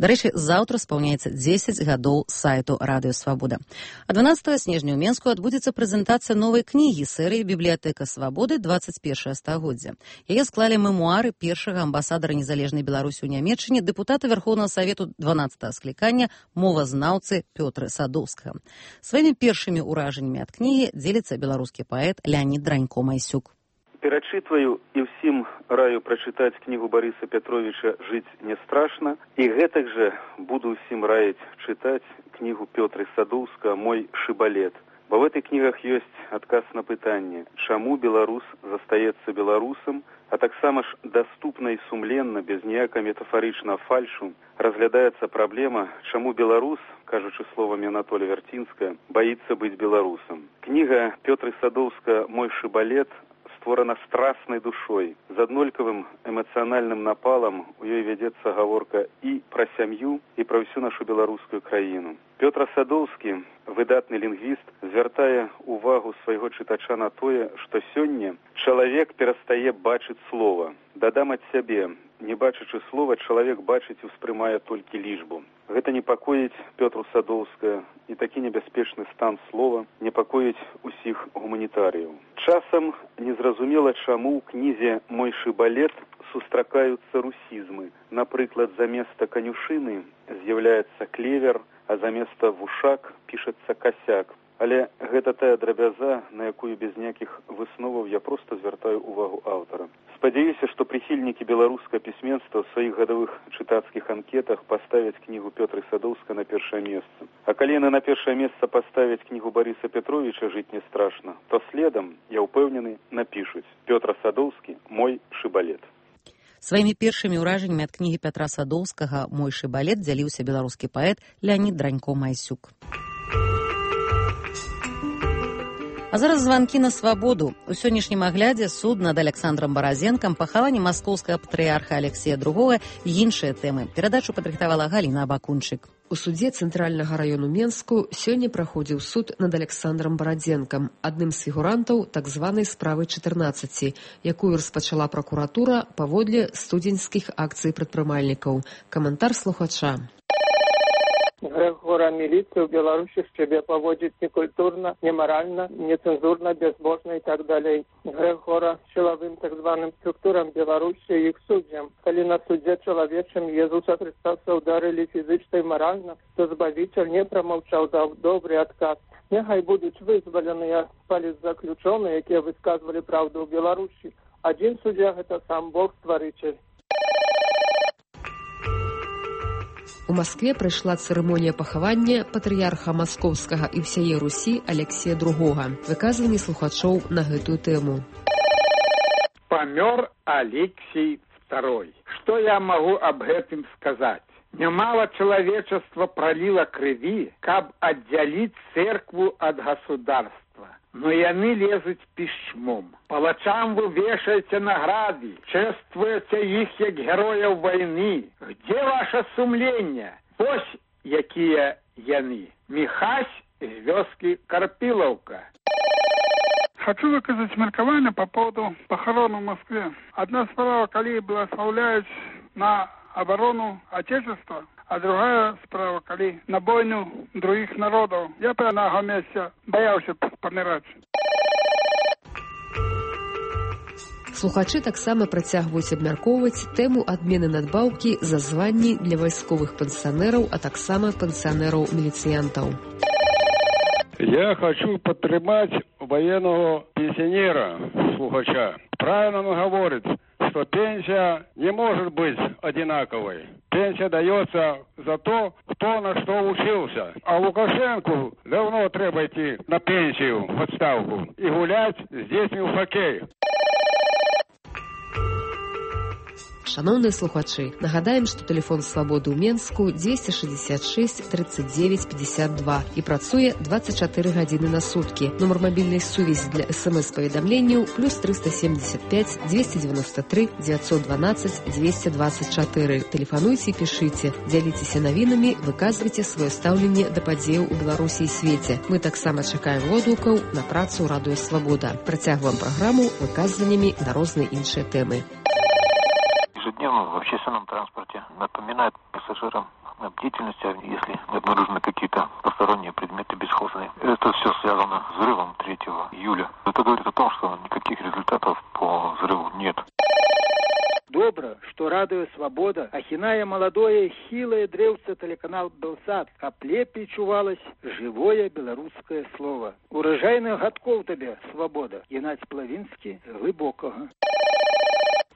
Дарэчы, заўтра спаўняецца 10 гадоў сайту «Радыё Свабода». А 12 снежня ў Менску адбудзецца прэзентацыя новай кнігі серыі «Бібліятэка Свабоды. 21 стагоддзя». Яе склалі мемуары першага амбасадара незалежнай Беларусі ў Нямецчыне, дэпутата Верхоўнага Савету 12-го склікання, мовазнаўцы Пётра Садоўскага. Сваімі першымі ўражаннямі ад кнігі дзеліцца беларускі паэт Леанід Дранько-Майсюк. Перачытваю і ўсім раю прачытаць кнігу Барыса Пятровіча «Жыць не страшна». І гэтак жа буду ўсім раіць чытаць кнігу Пётра Садоўскага «Мой шыбалет». Бо в этих книгах есть отказ на пытанне, чаму беларус застаецца беларусам, а таксама ж доступна и сумленна, без ніякага метафоричного фальшу, разглядаецца праблема, чаму беларус, кажучы словамі Анатолия Вертинская, боится быть беларусам. Книга Пётры Садоўска «Мой шибалет» створана страстной душой, з аднолькавым эмацыянальным напалам у ёй вядзецца гаворка і пра сям'ю, і пра ўсю нашу беларускую краіну. Пётр Садоўскі, выдатны лінгвіст, звяртае увагу свайго чытача на тое, што сёння чалавек перастае бачыць слова. Дадам ад сябе, не бачачы слова, чалавек бачыць і ўспрымае толькі лічбу. Гэта непакоіць Пётру Садоўская, і такі небяспечны стан слова непакоіць усіх гуманітарыяў. Часам незразумела, чаму ў кнізе «Мой шибалет» сустракаюцца русізмы. Напрыклад, заместа канюшыны з'яўляецца клевер, а заместа вушак пішацца касяк. Але гэта тая драбяза, на якую без ніякіх высноваў я проста звяртаю увагу аўтара. Спадзяюся, што прыхільнікі беларускага пісьменства ў сваіх гадавых чытацкіх анкетах паставяць кнігу Пётры Садоўска на першае месца. А калі яны на першае месца паставяць кнігу Барыса Петровича «Жыць не страшна», то следам, я ўпэўнены, напішуць «Пётр Садоўскі. Мой шибалет». Сваімі першымі ўражаннямі ад кнігі Пятра Садоўскага «Мой шибалет» дзяліўся беларускі паэт Леонид Дранько-Майсюк. А зараз званкі на свабоду. У сённяшнім аглядзе суд над Александром Баразенкам, пахаванне маскоўскага патрыярха Алексея II і іншыя тэмы. Перадачу падрыхтавала Галіна Абакунчык. У судзе Цэнтральнага раёну Менску сёння праходзіў суд над Александром Барадзенкам, адным з фігурантаў так званай справы 14, якую распачала пракуратура паводле студзеньскіх акцый прадпрымальнікаў. Каментар слухача. Грех гора милиции в Беларуси себя поводит некультурно, неморально, нецензурно, безбожно и так далее. Грех гора силовым так званым структурам Беларуси и их судьям. Коли на суде человечем Иисуса Христа ударили физически и морально, то Збавитель не промолчал, дав добрый отказ. Нехай будут вызволены политзаключенные, которые высказывали правду в Беларуси. Один судья – это сам Бог-створитель. У Маскве прайшла цырымонія пахавання патрыярха маскоўскага і ўсяе Русі Алексея II. Выказванні слухачоў на гэтую тэму. Памёр Алексей II. Што я магу аб гэтым сказаць? Нямала чалавечаства праліла крыві, каб аддзяліць цэркву ад государства. Но яны лезуць пішчмом. Палачам вы вешаеце награды, чествуеце іх як герояў вайны. Где ваше сумленне? Вось якія яны. Михась з вёскі Карпілаўка. Хочу выказать меркование по поводу похорон в Москве. Одна справа, коли благословляют на оборону Отечества, а другая справа, коли на бойню других народов. Я бы на его месте боялся помирать. Слухачы таксама працягваюць абмяркоўваць тэму адмены надбаўкі за званні для вайсковых пенсионераў, а таксама пенсионераў-міліцыянтаў. Я хочу подтримать военного пенсионера, слухача. Правильно он говорит, что пенсия не может быть одинаковой. Пенсия дается за то, кто на что учился. А Лукашенку давно треба идти на пенсию, в отставку, и гулять с детьми в хоккей. Шановныя слухачы, нагадаем, што тэлефон свабоды ў Менску 266 39 52 і працуе 24 гадзіны на суткі. Нумар мабільнай сувязі для СМС-паведамленняў +375 293 912 224. Тэлефануйце і пішыце, дзяліцеся навінамі, выказвайце сваё стаўленне да падзеяў у Беларусі і свеце. Мы таксама чакаем водгукаў на працу Радыё Свабода. Працягваем праграму выказваннямі на розныя іншыя тэмы. Ежедневно в общественном транспорте напоминает пассажирам о бдительности, если обнаружены какие-то посторонние предметы бесхозные. Это все связано с взрывом 3 июля. Это говорит о том, что никаких результатов по взрыву нет. Добра, что Радыё Свобода ахінае маладое хілае дрэўца тэлеканал Белсат, каб лепей чувалось живое беларускае слово. Урожайных гадкоў табе, Свобода. Геннадзь Плавінскі, Глыбокага.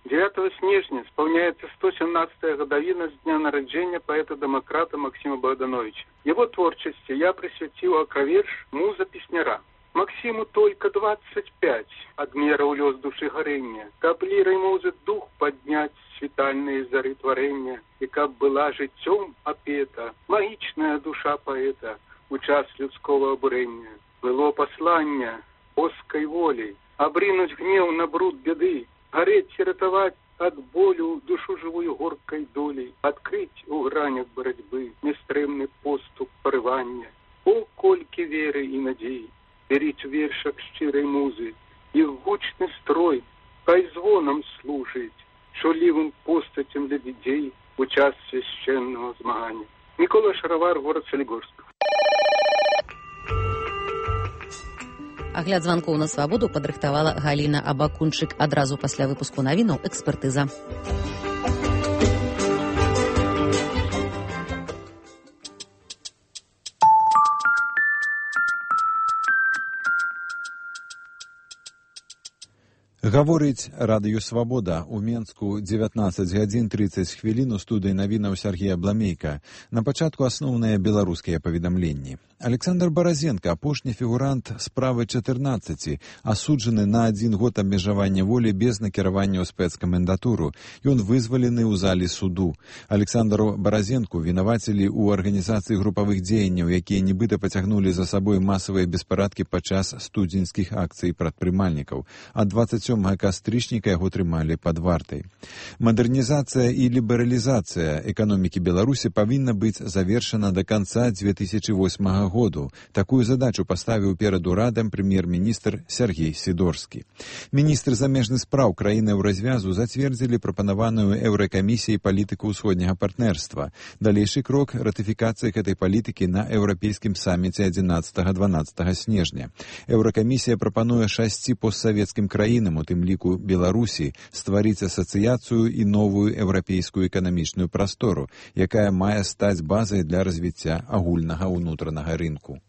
9 снежня исполняется 117-я годовина с дня народжения поэта-демократа Максима Богдановича. Его творчестве я присвятил окроверш «Муза песняра». Максиму только 25, от мера улез души горения, каб лирой музы дух поднять світальные зары творения, и каб была життем опета, магичная душа поэта у час людского обурения. Было послание оской воли, обринуть гнев на бруд беды, гореть и ратовать от болю душу живую горкой долей, открыть у гранях борьбы нестремный поступ порывания. О, кольки веры и надеи! Беріть у віршах щирої музи, їх гучний строй, хай звоном служить, шолівим постатям для дітей у час священного змагання. Микола Шаровар, город Солігорськ. Агляд званкоў на свабоду падрыхтавала Галіна Абакунчык. Адразу пасля выпуску навінаў экспертыза. Гаворыць радыё «Свабода». У Менску 19 гадзін 30 хвілін у студыі навінаў Сергея Бламейка. На пачатку асноўныя беларускія паведамленні. Александр Баразенко, апошні фігурант справы 14, асуджаны на 1 год абмежавання волі без накіравання ў спецкамендатуру. Ён вызвалены ў залі суду. Александру Баразенку вінавацілі ў арганізацыі групавых дзеянняў, якія нібыта пацягнулі за сабой масавыя беспарадкі падчас студзеньскіх акцый прадпрымальнікаў. А 27 кастрычніка яго трымалі пад вартай. Мадэрнізацыя і лібералізацыя эканомікі Беларусі павінна быць завершана да канца 2008 году. Такую задачу паставіў перад урадам прэм'ер-міністр Сергей Сідорскі. Міністры замежных спраў краіны ў развязу зацвердзілі прапанаваную Еўракамісіяй палітыку ўсходняга партнерства. Далейшы крок — ратыфікацыя гэтай палітыкі на еўрапейскім саміце 11-12 снежня. Еўракамісія прапануе 6 постсавецкім краінам, у тым ліку Беларусі, стварыць асацыяцыю і новую еўрапейскую эканамічную прастору, якая мае стаць базай для развіцця агульнага ўнутранага рынку.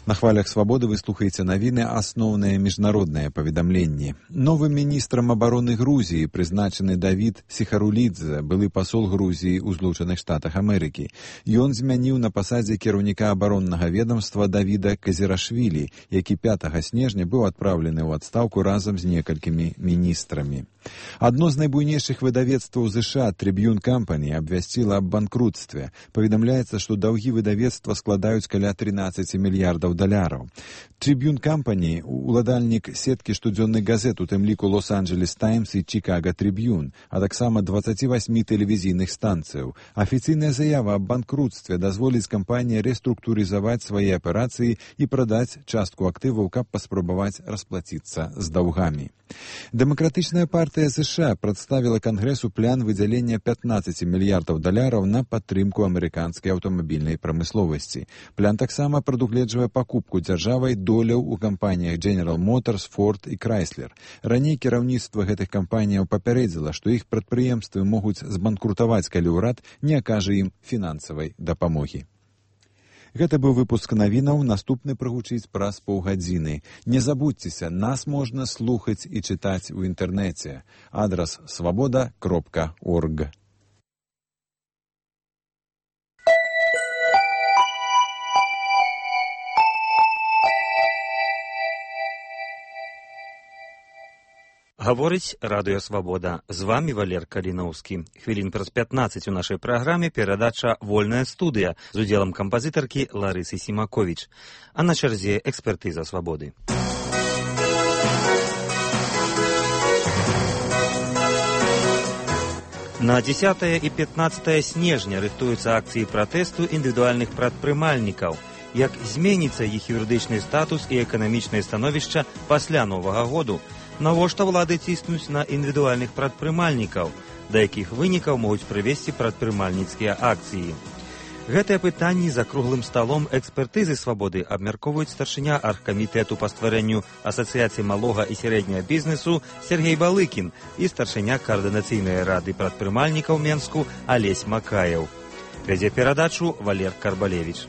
На хвалях «Свабоды» вы слухаеце навіны, асноўныя міжнародныя паведамленні. Новым міністрам абароны Грузіі прызначаны Давід Сіхарулідзе, былы пасол Грузіі ў Злучаных Штатах Амерыкі. Ён змяніў на пасадзе кіраўніка абароннага ведомства Давіда Казірашвілі, які 5 снежня быў адпраўлены ў адстаўку разам з некалькімі міністрамі. Адно з найбуйнейшых выдавецтваў США, Tribune Company, абвясціла аб банкрутстве. Паведамляецца, што даўгі выдавецтва складаюць каля 13 мільярдаў $. Tribune Company — уладальнік сеткі штодзённых газет, у тым ліку Лос-Анджелес Таймс і Чикаго Трибюн, а таксама 28 тэлевізійных станцыяў. Афіцыйная заява аб банкрутстве дазволіць кампаніі рэструктурызаваць свае аперацыі і прадаць частку актываў, каб паспрабаваць расплаціцца з даўгамі. Дэмакратычная партыя США прадставіла Кангрэсу план выдзялення $15 мільярдаў на падтрымку амерыканскай аўтамабільнай прамысловасці. План таксама прадугледжвае пакупку дзяржавай доляў у кампаніях General Motors, Ford і Chrysler. Раней кіраўніцтва гэтых кампаніяў папярэдзіла, што іх прадпрыемствы могуць збанкрутаваць, калі ўрад не акажа ім фінансавай дапамогі. Гэта быў выпуск навінаў, наступны прагучыць праз паўгадзіны. Не забудзьцеся, нас можна слухаць і чытаць у інтэрнэце. Адрас swaboda.org. Гаворыць радыё «Свабода». З вамі Валер Каліноўскі. Хвілін праз 15 у нашай праграме перадача «Вольная студыя» з удзелам кампазітаркі Ларысы Сімаковіч. А на чарзе экспертыза «Свабоды». На 10 і 15 снежня рыхтуюцца акцыі пратэсту індывідуальных прадпрымальнікаў. Як зменіцца іх юрыдычны статус і эканамічнае становішча пасля Новага году? Навошта ўлады ціснуць на індывідуальных прадпрымальнікаў, да якіх вынікаў могуць прывесці прадпрымальніцкія акцыі. Гэтыя пытанні за круглым сталом экспертызы «Свабоды» абмяркоўваюць старшыня аргкамітэту па стварэнню асацыяцыі малога і сярэдняга бізнесу Сергей Балыкін і старшыня каардынацыйнай рады прадпрымальнікаў Менску Алесь Макаеў. Вядзе перадачу Валер Карбалевіч.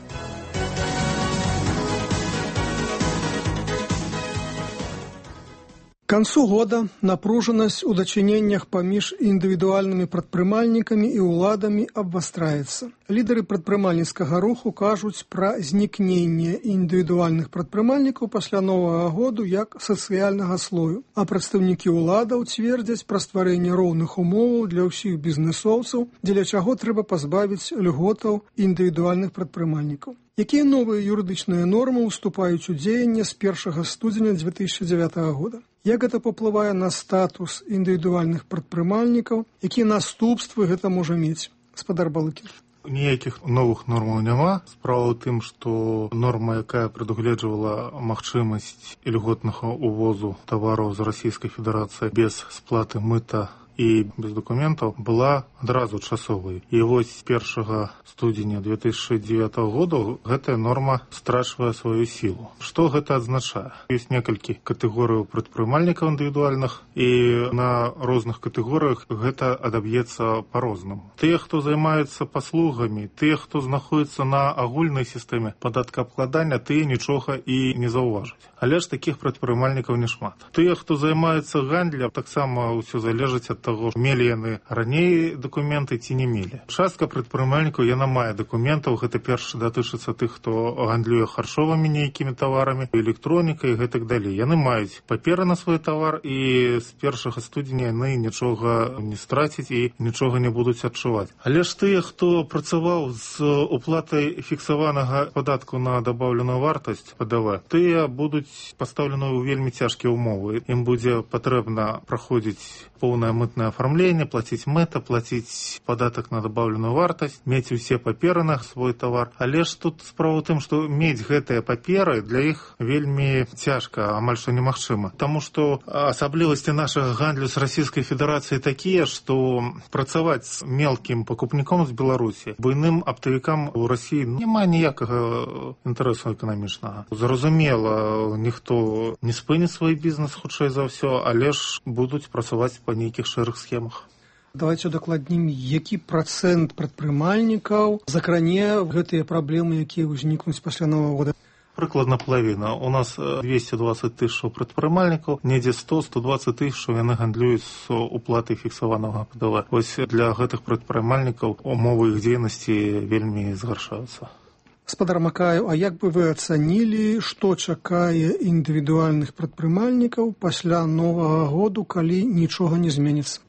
К концу года напружанасць у дачыненнях паміж індывідуальнымі прадпрымальнікамі і ўладамі абвастраецца. Лідары прадпрымальніцкага руху кажуць пра знікненне індывідуальных прадпрымальнікаў пасля Новага году як сацыяльнага слою, а прадстаўнікі ўладаў цвердзяць пра стварэнне роўных умоваў для ўсіх бізнэсоўцаў, дзеля чаго трэба пазбавіць льготаў індывідуальных прадпрымальнікаў. Якія новыя юрыдычныя нормы ўступаюць у дзеянне з 1 студзеня 2009 года? Як гэта паўплывае на статус індывідуальных прадпрымальнікаў? Якія наступствы гэта можа мець? Гаспадар Балыкін. Ніякіх новых нормаў няма. Справа ў тым, што норма, якая прадугледжвала магчымасць льготнага ўвозу тавараў з Расійскай Федэрацыі без сплаты мыта і без дакументаў, была адразу часовай. І вось 1 студзеня 2009 года гэтая норма страчвае сваю сілу. Што гэта азначае? Ёсць некалькі катэгорыяў прадпрымальнікаў індывідуальных, і на розных катэгорыях гэта адаб'ецца па-рознаму. Тыя, хто займаецца паслугамі, тыя, хто знаходзіцца на агульнай сістэме падаткаабкладання, тыя нічога і не заўважаць. Але ж такіх прадпрымальнікаў няшмат. Тыя, хто займаецца гандлем, таксама ўсё залежыць ад таго, мелі яны раней дакументы ці не мелі. Частка прадпрымальнікаў, яна мае дакументаў, гэта першы датычыцца тых, хто гандлюе харчовымі нейкімі таварамі, электронікай і гэтак далей. Яны маюць паперы на свой тавар, і з 1 студзеня яны нічога не страцяць і нічога не будуць адчуваць. Але ж тыя, хто працаваў з уплатай фіксаванага падатку на дабаўленую вартасць ПДВ, тыя будуць пастаўлены ў вельмі цяжкія ўмовы. Ім будзе патрэбна праходзіць поўнае мытнае афармленне, плаціць мэта, плаціць падатак на дабаўленую вартасць, мець усе паперы на свой тавар. Але ж тут справа ў тым, што мець гэтыя паперы для іх вельмі цяжка, амаль што немагчыма. Таму што асаблівасці нашага гандлю з Расійскай Федэрацыі такія, што працаваць з мелкім пакупніком з Беларусі буйным аптавікам у Расіі няма ніякага інтарэсу эканамічнага. Зразумела, ніхто не спыніць свой бізнес хутчэй за ўсё, але ж будуць працаваць па нейкіх шэрых схемах. Давайте удакладнім, які працэнт прадпрымальнікаў закране гэтыя праблемы, якія ўзнікнуць пасля Новага года? Прыкладна палавіна. У нас 220 тысячаў прадпрымальнікаў, недзе 100-120 тысячаў яны гандлююць з уплатай фіксаванага ПДВ. Вось для гэтых прадпрымальнікаў умовы іх дзейнасці вельмі згаршаюцца. Гаспадар Макаев, а як бы вы ацанілі, што чакае індывідуальных прадпрымальнікаў пасля Новага году, калі нічога не зменіцца?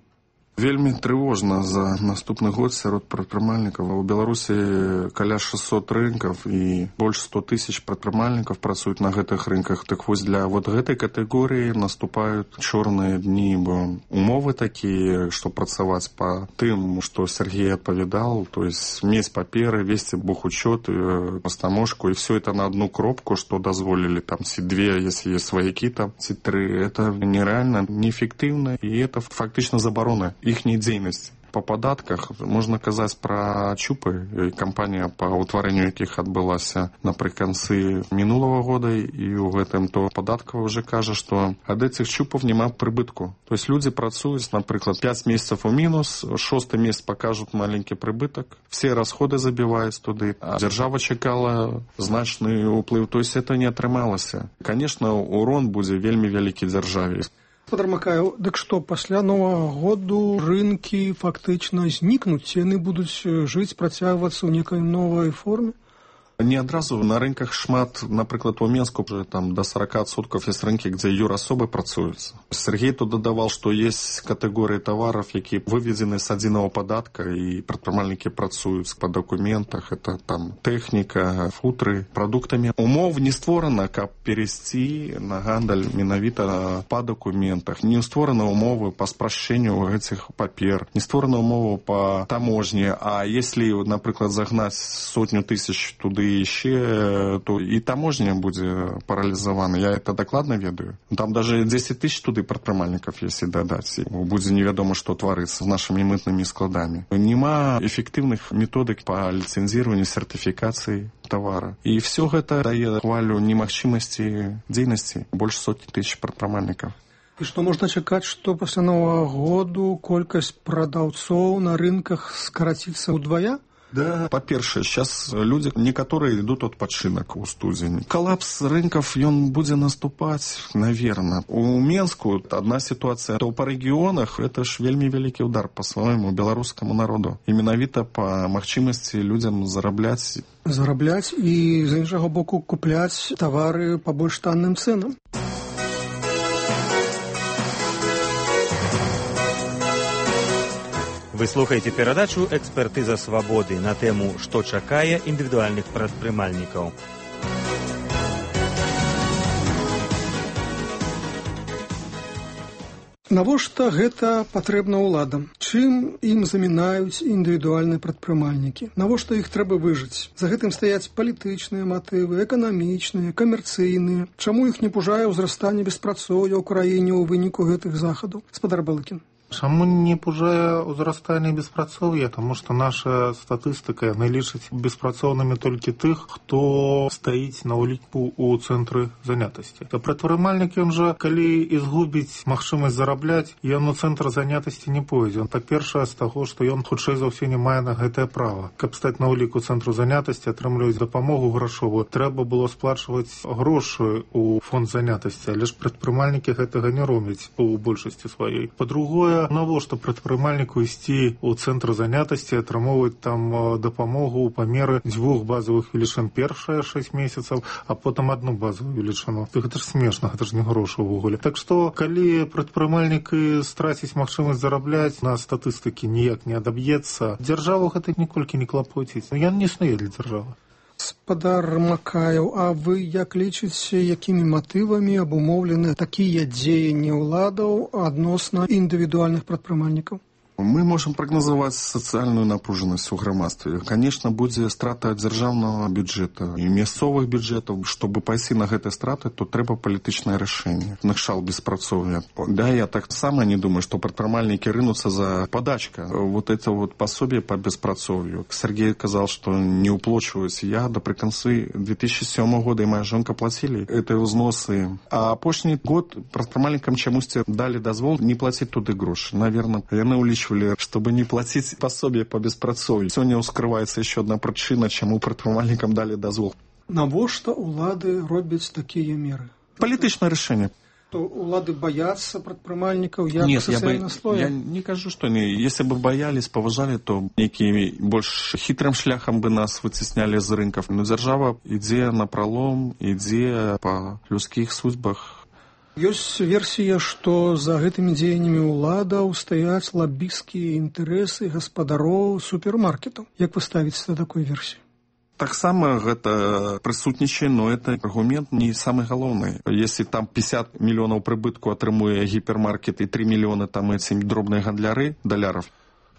Вельмі трывожна за наступны год сярод прадпрымальнікаў. У Беларусі каля 600 рынкаў і больш 100 тысяч прадпрымальнікаў працуюць на гэтых рынках. Так вось для вот гэтай катэгорыі наступаюць чорныя дні, бо умовы такія, што працаваць па тым, што Сергей адпавядал, то есть мець паперы, весці бухучёт, пастаможку, і все это на одну кропку, што дазволілі там ці две, если есть сваякі там, ці тры. Это нереально, неэффектыўна, і это фактычна забарона іхняй дзейнасці. Па падатках можна казаць пра ЧУПы, кампанія па ўтварэнню якіх адбылася напрыканцы мінулага года, і ў гэтым то падаткава ўжо кажа, што ад этих ЧУПаў няма прыбытку. То есть людзі працуюць, напрыклад, 5 месяцаў у мінус, 6-й месяц пакажуць маленькі прыбытак, все расходы забіваюць туды, а дзяржава чакала значны ўплыў, то есть это не атрымалася. Конечно, урон будзе вельмі вялікі дзяржаве. Гаспадар Макаев, дык што, пасля Новага году рынкі фактычна знікнуць, яны будуць жыць, працягвацца ў некай новай форме? Не адразу. На рынках шмат, напрыклад, у Менску там до 40% есть рынки, где юрасобы працуюць. Сергей тут дадавал, что есть категории товаров, якія выведены с адзінага падатка, и прадпрымальнікі працуюць по документах. Это там техника, футры, продуктами. Умов не створана, каб перейсці на гандаль менавіта по документах. Не створаны умовы по спрашчэнню этих папер. Не створаны умовы по таможне. А если, напрыклад, загнать 100 тысяч туды еще, то и таможня будзе паралізавана. Я это докладно ведаю. Там даже 10 тысяч туды прадпрымальнікаў, если дадаць. Будзе невядома, што тварыцца з нашими мытнымі складамі. Нема эффективных методик по лицензированию, сертификации товара. И все гэта дае хвалю немагчымасці дзейнасці больш 100 тысяч прадпрымальнікаў. І што можна чакаць, што пасля Новага году колькасць прадаўцоў на рынках скараціцца ўдвая? Да, по-першае, сейчас люди некоторые идут адпачынак у студзені. Коллапс рынков, он будет наступать, наверное. У Менску одна ситуация, то по регионах это ж вельмі вялікі удар по своему белорусскому народу. И менавіта по магчымасці людям зарабляць і, з іншого боку, купляць тавары по больш танным ценам. Вы слухаеце перадачу «Экспертыза свабоды» на тэму «Што чакае індывідуальных прадпрымальнікаў». Навошта гэта патрэбна ўладам? Чым ім замінаюць індывідуальныя прадпрымальнікі? Навошта іх трэба выжыць? За гэтым стаяць палітычныя матывы, эканамічныя, камерцыйныя. Чаму іх не пужае ўзрастанне беспрацоўя ў краіне ў выніку гэтых захадаў? Спадар Балыкін. Чаму не пужае ўзрастанне беспрацоўя? Таму што наша статыстыка лічыць беспрацоўнымі толькі тых, хто стаіць на ўліку ў цэнтры занятасці. Прадпрымальнік, ён жа, калі і згубіць магчымасць зарабляць, ён у цэнтр занятасці не пойдзе. Па-першае, з таго, што ён хутчэй за ўсё не мае на гэтае права. Каб стаць на ўліку цэнтру занятасці, атрымліваць дапамогу грашовую, трэба было сплачваць грошы ў фонд занятасці, але ж прадпрымальнікі гэтага не робяць у большасці сваёй. Па-другое, навошта прадпрымальніку ісці ў цэнтр занятасці, атрымоўваць там дапамогу ў памеры 2 базавых велічын першыя 6 месяцаў, а потым 1 базавую велічыну. Гэта ж смешна, гэта ж не грошы ўвогуле. Так што, калі прадпрымальнік страціць магчымасць зарабляць, на статыстыкі ніяк не адаб'ецца, дзяржаву гэта ніколькі не клапоціць. Ён не існуе для дзяржавы. Спадар Макаеў, а вы як лічыце, якімі матывамі абумоўлены такія дзеянні ўладаў адносна індывідуальных прадпрымальнікаў? Мы можем прогнозовать социальную напруженность у грамадстве. Конечно, будет страта дзяржаўнага бюджета и мясцовых бюджетов. Чтобы пайсці на гэтыя страты, то трэба палітычнае рашэнне. Накшал беспрацоўя. Да, я так само не думаю, что прадпрымальнікі рынутся за подачка. Вот это вот пособие по беспрацоўю. Сергей сказал, что не уплачиваюсь. Я до приконцы 2007 года и моя жонка платили эти взносы. А апошні год прадпрымальнікам чамусьці дали дазвол не платить туды грошы. Наверное, яны улічвалі, чтобы не платить пособие по беспрацоўю. Сегодня ускрывается еще одна причина, чему прадпрымальнікам дали дозвол. Навошта улады робяць такія меры? Палітычнае рашэнне. То улады боятся прадпрымальнікаў як социального слоя? Я не кажу, что не. Если бы боялись, поважали, то некими больше хитрым шляхом бы нас вытесняли з рынков. Но держава ідзе на пролом, ідзе по людских судьбах. Ёсць версія, што за гэтымі дзеяннямі ўладаў стаяць лабісцкія інтарэсы гаспадароў супермаркетаў. Як вы ставіце да такой версіі? Таксама гэта прысутнічае, но это аргумент не самый галоўны. Если там 50 мільёнаў прыбытку атрымуе гіпермаркет і 3 мільёны там эти дробныя гандляры даляров,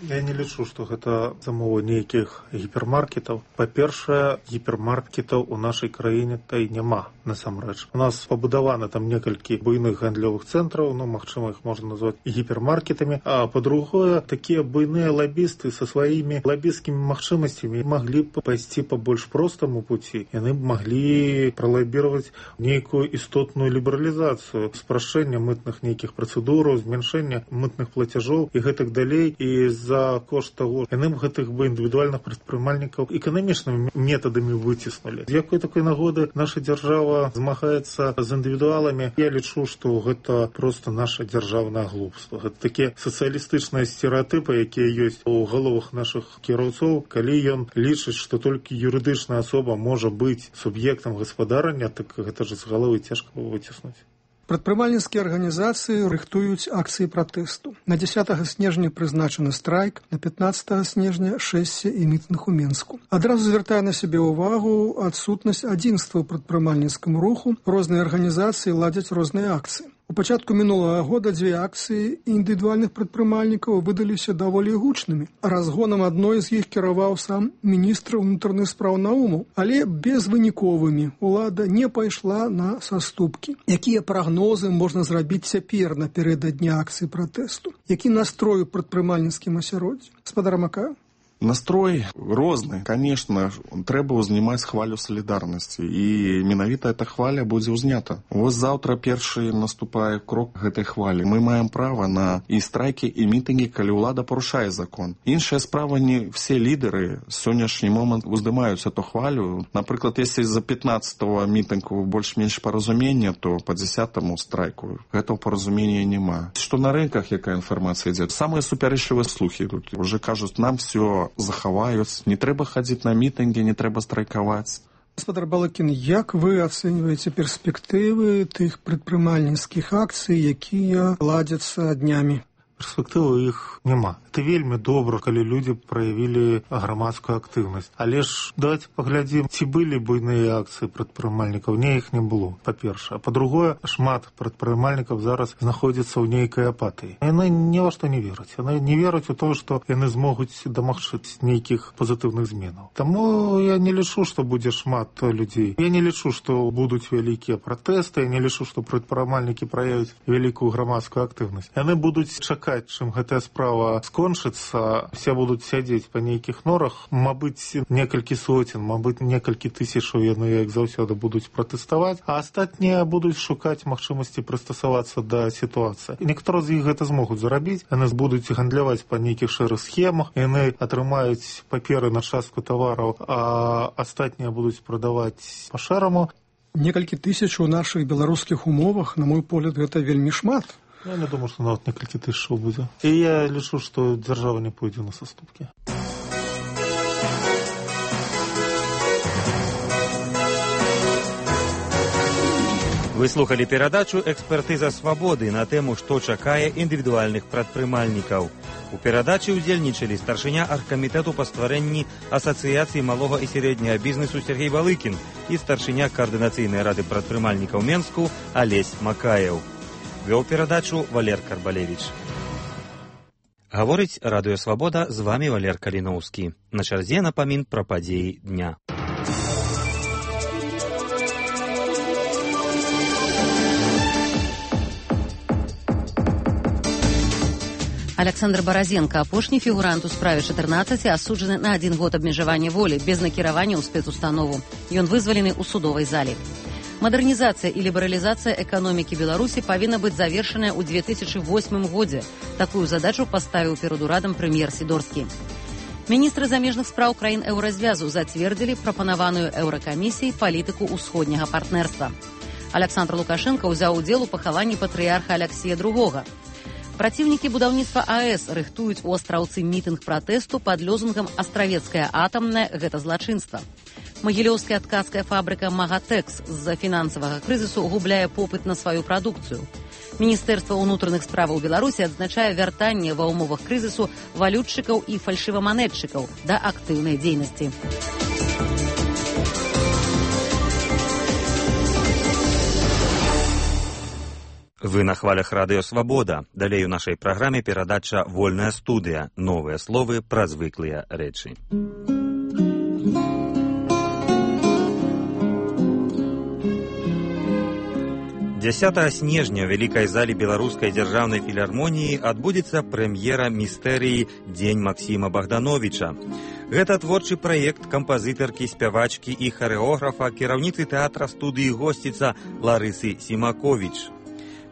я не лічу, што гэта замова нейкіх гіпермаркетаў. Па-першае, гіпермаркетаў у нашай краіне та і няма, насамрэч. У нас пабудаваны там некалькі буйных гандлёвых цэнтраў, магчыма, іх можна назваць гіпермаркетамі. А па-другое, такія буйныя лабісты са сваімі лабісцкімі магчымасцямі маглі б пайсці па больш простаму пуці. Яны б маглі пралабіраваць нейкую істотную лібералізацыю, спрашчэння мытных нейкіх працэдураў, змяншэння мытных плацяжоў і гэтак далей. І за кошт того, яны б гэтых бы індывідуальных прадпрымальнікаў эканамічнымі метадамі выціснулі. З якой такой нагоды наша дзяржава змагаецца з індывідуаламі? Я лічу, што гэта просто наша дзяржаўнае глупства. Гэта такія сацыялістычныя стэрэатыпы, якія ёсць у галовах нашых кіроўцоў. Калі ён лічыць, што толькі юрыдычная асоба можа быць суб'ектам гаспадарання, так гэта ж з галовы цяжка выціснуць. Прадпрымальніцкія арганізацыі рыхтуюць акцыі пратэсту. На 10 снежня прызначаны страйк, на 15 снежня шэсце і мітынг у Менску. Адразу звяртае на сябе ўвагу адсутнасць адзінства ў прадпрымальніцкім руху. Розныя арганізацыі ладзяць розныя акцыі. У пачатку мінулага года 2 акцыі індывідуальных прадпрымальнікаў выдаліся даволі гучнымі. Разгонам адной з іх кіраваў сам міністр унутраных спраў Наумаў, але безвыніковымі. Улада не пайшла на саступкі. Якія прагнозы можна зрабіць цяпер наперададні акцыі пратэсту? Які настрой у прадпрымальніцкім асяроддзі? Спадар Макаеў? Настрой розны. Конечно, трэба ўзнімаць хвалю салідарнасці, і менавіта эта хваля будзе ўзнята. Вось заўтра першы наступае крок гэтай хвалі. Мы маем права на і страйкі, і мітынгі, калі ўлада парушае закон. Іншая справа, не все лідеры сённяшні момант уздымаюць эту хвалю. Напрыклад, если за 15-го мітынгу больш-менш паразумення, то по 10-му страйку гэтага паразумення няма. Што на рынках, якая інфармацыя ідзе? Самыя супярэчлівыя слухі тут. Уже кажуць, нам все захаваюць, не трэба хадзіць на мітынгі, не трэба страйкаваць. Гаспадар Балыкін, як вы ацэньваеце перспектывы тых прадпрымальніцкіх акцый, якія ладзяцца днямі? Перспектывы іх няма. Это вельмі добра, калі людзі праявілі грамадскую актыўнасць. Але ж давайте паглядзім, ці былі буйныя акцыі прадпрымальнікаў. Не, іх не было, па-першае. А па-другое, шмат прадпрымальнікаў зараз знаходзяцца ў нейкай апатыі. Яны ні ва што не вераць. Яны не вераць у тое, што яны змогуць дамагчыць нейкіх пазітыўных зменаў. Таму я не лічу, што будзе шмат людзей. Я не лічу, што будуць вялікія пратэсты. Я не лічу, што прадпрымальнікі праявяць вялікую грамадскую актыўнасць. Яны будуць чакаць, чым гэтая справа скончыцца, все будуць сядзець па нейкіх норах, мабыць, некалькі соцень, мабыць, некалькі тысячаў яны, як заўсёды, будуць пратэставаць, а астатнія будуць шукаць магчымасці прыстасавацца да сітуацыі. Некаторыя з іх гэта змогуць зарабіць, яны будуць гандляваць па нейкіх шэрых схемах, яны атрымаюць паперы на частку тавараў, а астатнія будуць прадаваць па-шэраму. Некалькі тысяч у нашых беларускіх умовах, на мой погляд, гэта вельмі шмат. Я не думаю, што нават некалькі тысячаў будзе. І я лічу, што дзяржава не пойдзе на саступкі. Вы слухали перадачу «Экспертыза свабоды» на тэму «Што чакае індывідуальных прадпрымальнікаў». У перадачы ўдзельнічалі старшыня аргкамітэту па стварэнні Асацыяцыі малога і сярэдняга бізнесу Сергей Балыкін і старшыня Каардынацыйнай рады прадпрымальнікаў Менску Алесь Макаеў. Вёў перадачу Валер Карбалевіч. Гаворыць Радыё Свабода, з вамі Валер Каліноўскі. На чарзе напамін пра падзеі дня. Александр Баразенко, апошні фігурант у справе 14, асуджаны на 1 год абмежавання волі без накіравання ў спецустанову. Ён вызвалены ў судовай зале. Мадэрнізацыя і лібералізацыя эканомікі Беларусі павінна быць завершаная ў 2008 годзе. Такую задачу паставіў перад урадам прэм'ер Сідорскі. Міністры замежных спраў краін еўразвязу зацвердзілі прапанаваную еўракамісіяй палітыку ўсходняга партнерства. Александр Лукашенко ўзяў удзел у пахаванні патрыярха Аляксія II. Праціўнікі будаўніцтва АЭС рыхтуюць у Астраўцы мітынг пратэсту пад лозунгам «Астравецкая атамная – гэта злачынства». Магілёўская ткацкая фабрыка «Магатэкс» з-за фінансавага крызісу губляе попыт на сваю прадукцыю. Міністэрства ўнутраных справаў Беларусі адзначае вяртанне ва ўмовах крызісу валютчыкаў і фальшываманетчыкаў да актыўнай дзейнасці. Вы на хвалях Радыё Свабода. Далей у нашай праграме перадача «Вольная студыя». Новыя словы пра звыклыя рэчы. 10 снежня ў вялікай залі беларускай дзяржаўнай філармоніі адбудзецца прэм'ера містэрыі «Дзень Максіма Богдановича». Гэта творчы праект кампазітаркі, спявачкі і харэографа, кіраўніцы тэатра студыі «Госціца» Ларысы Сімаковіч.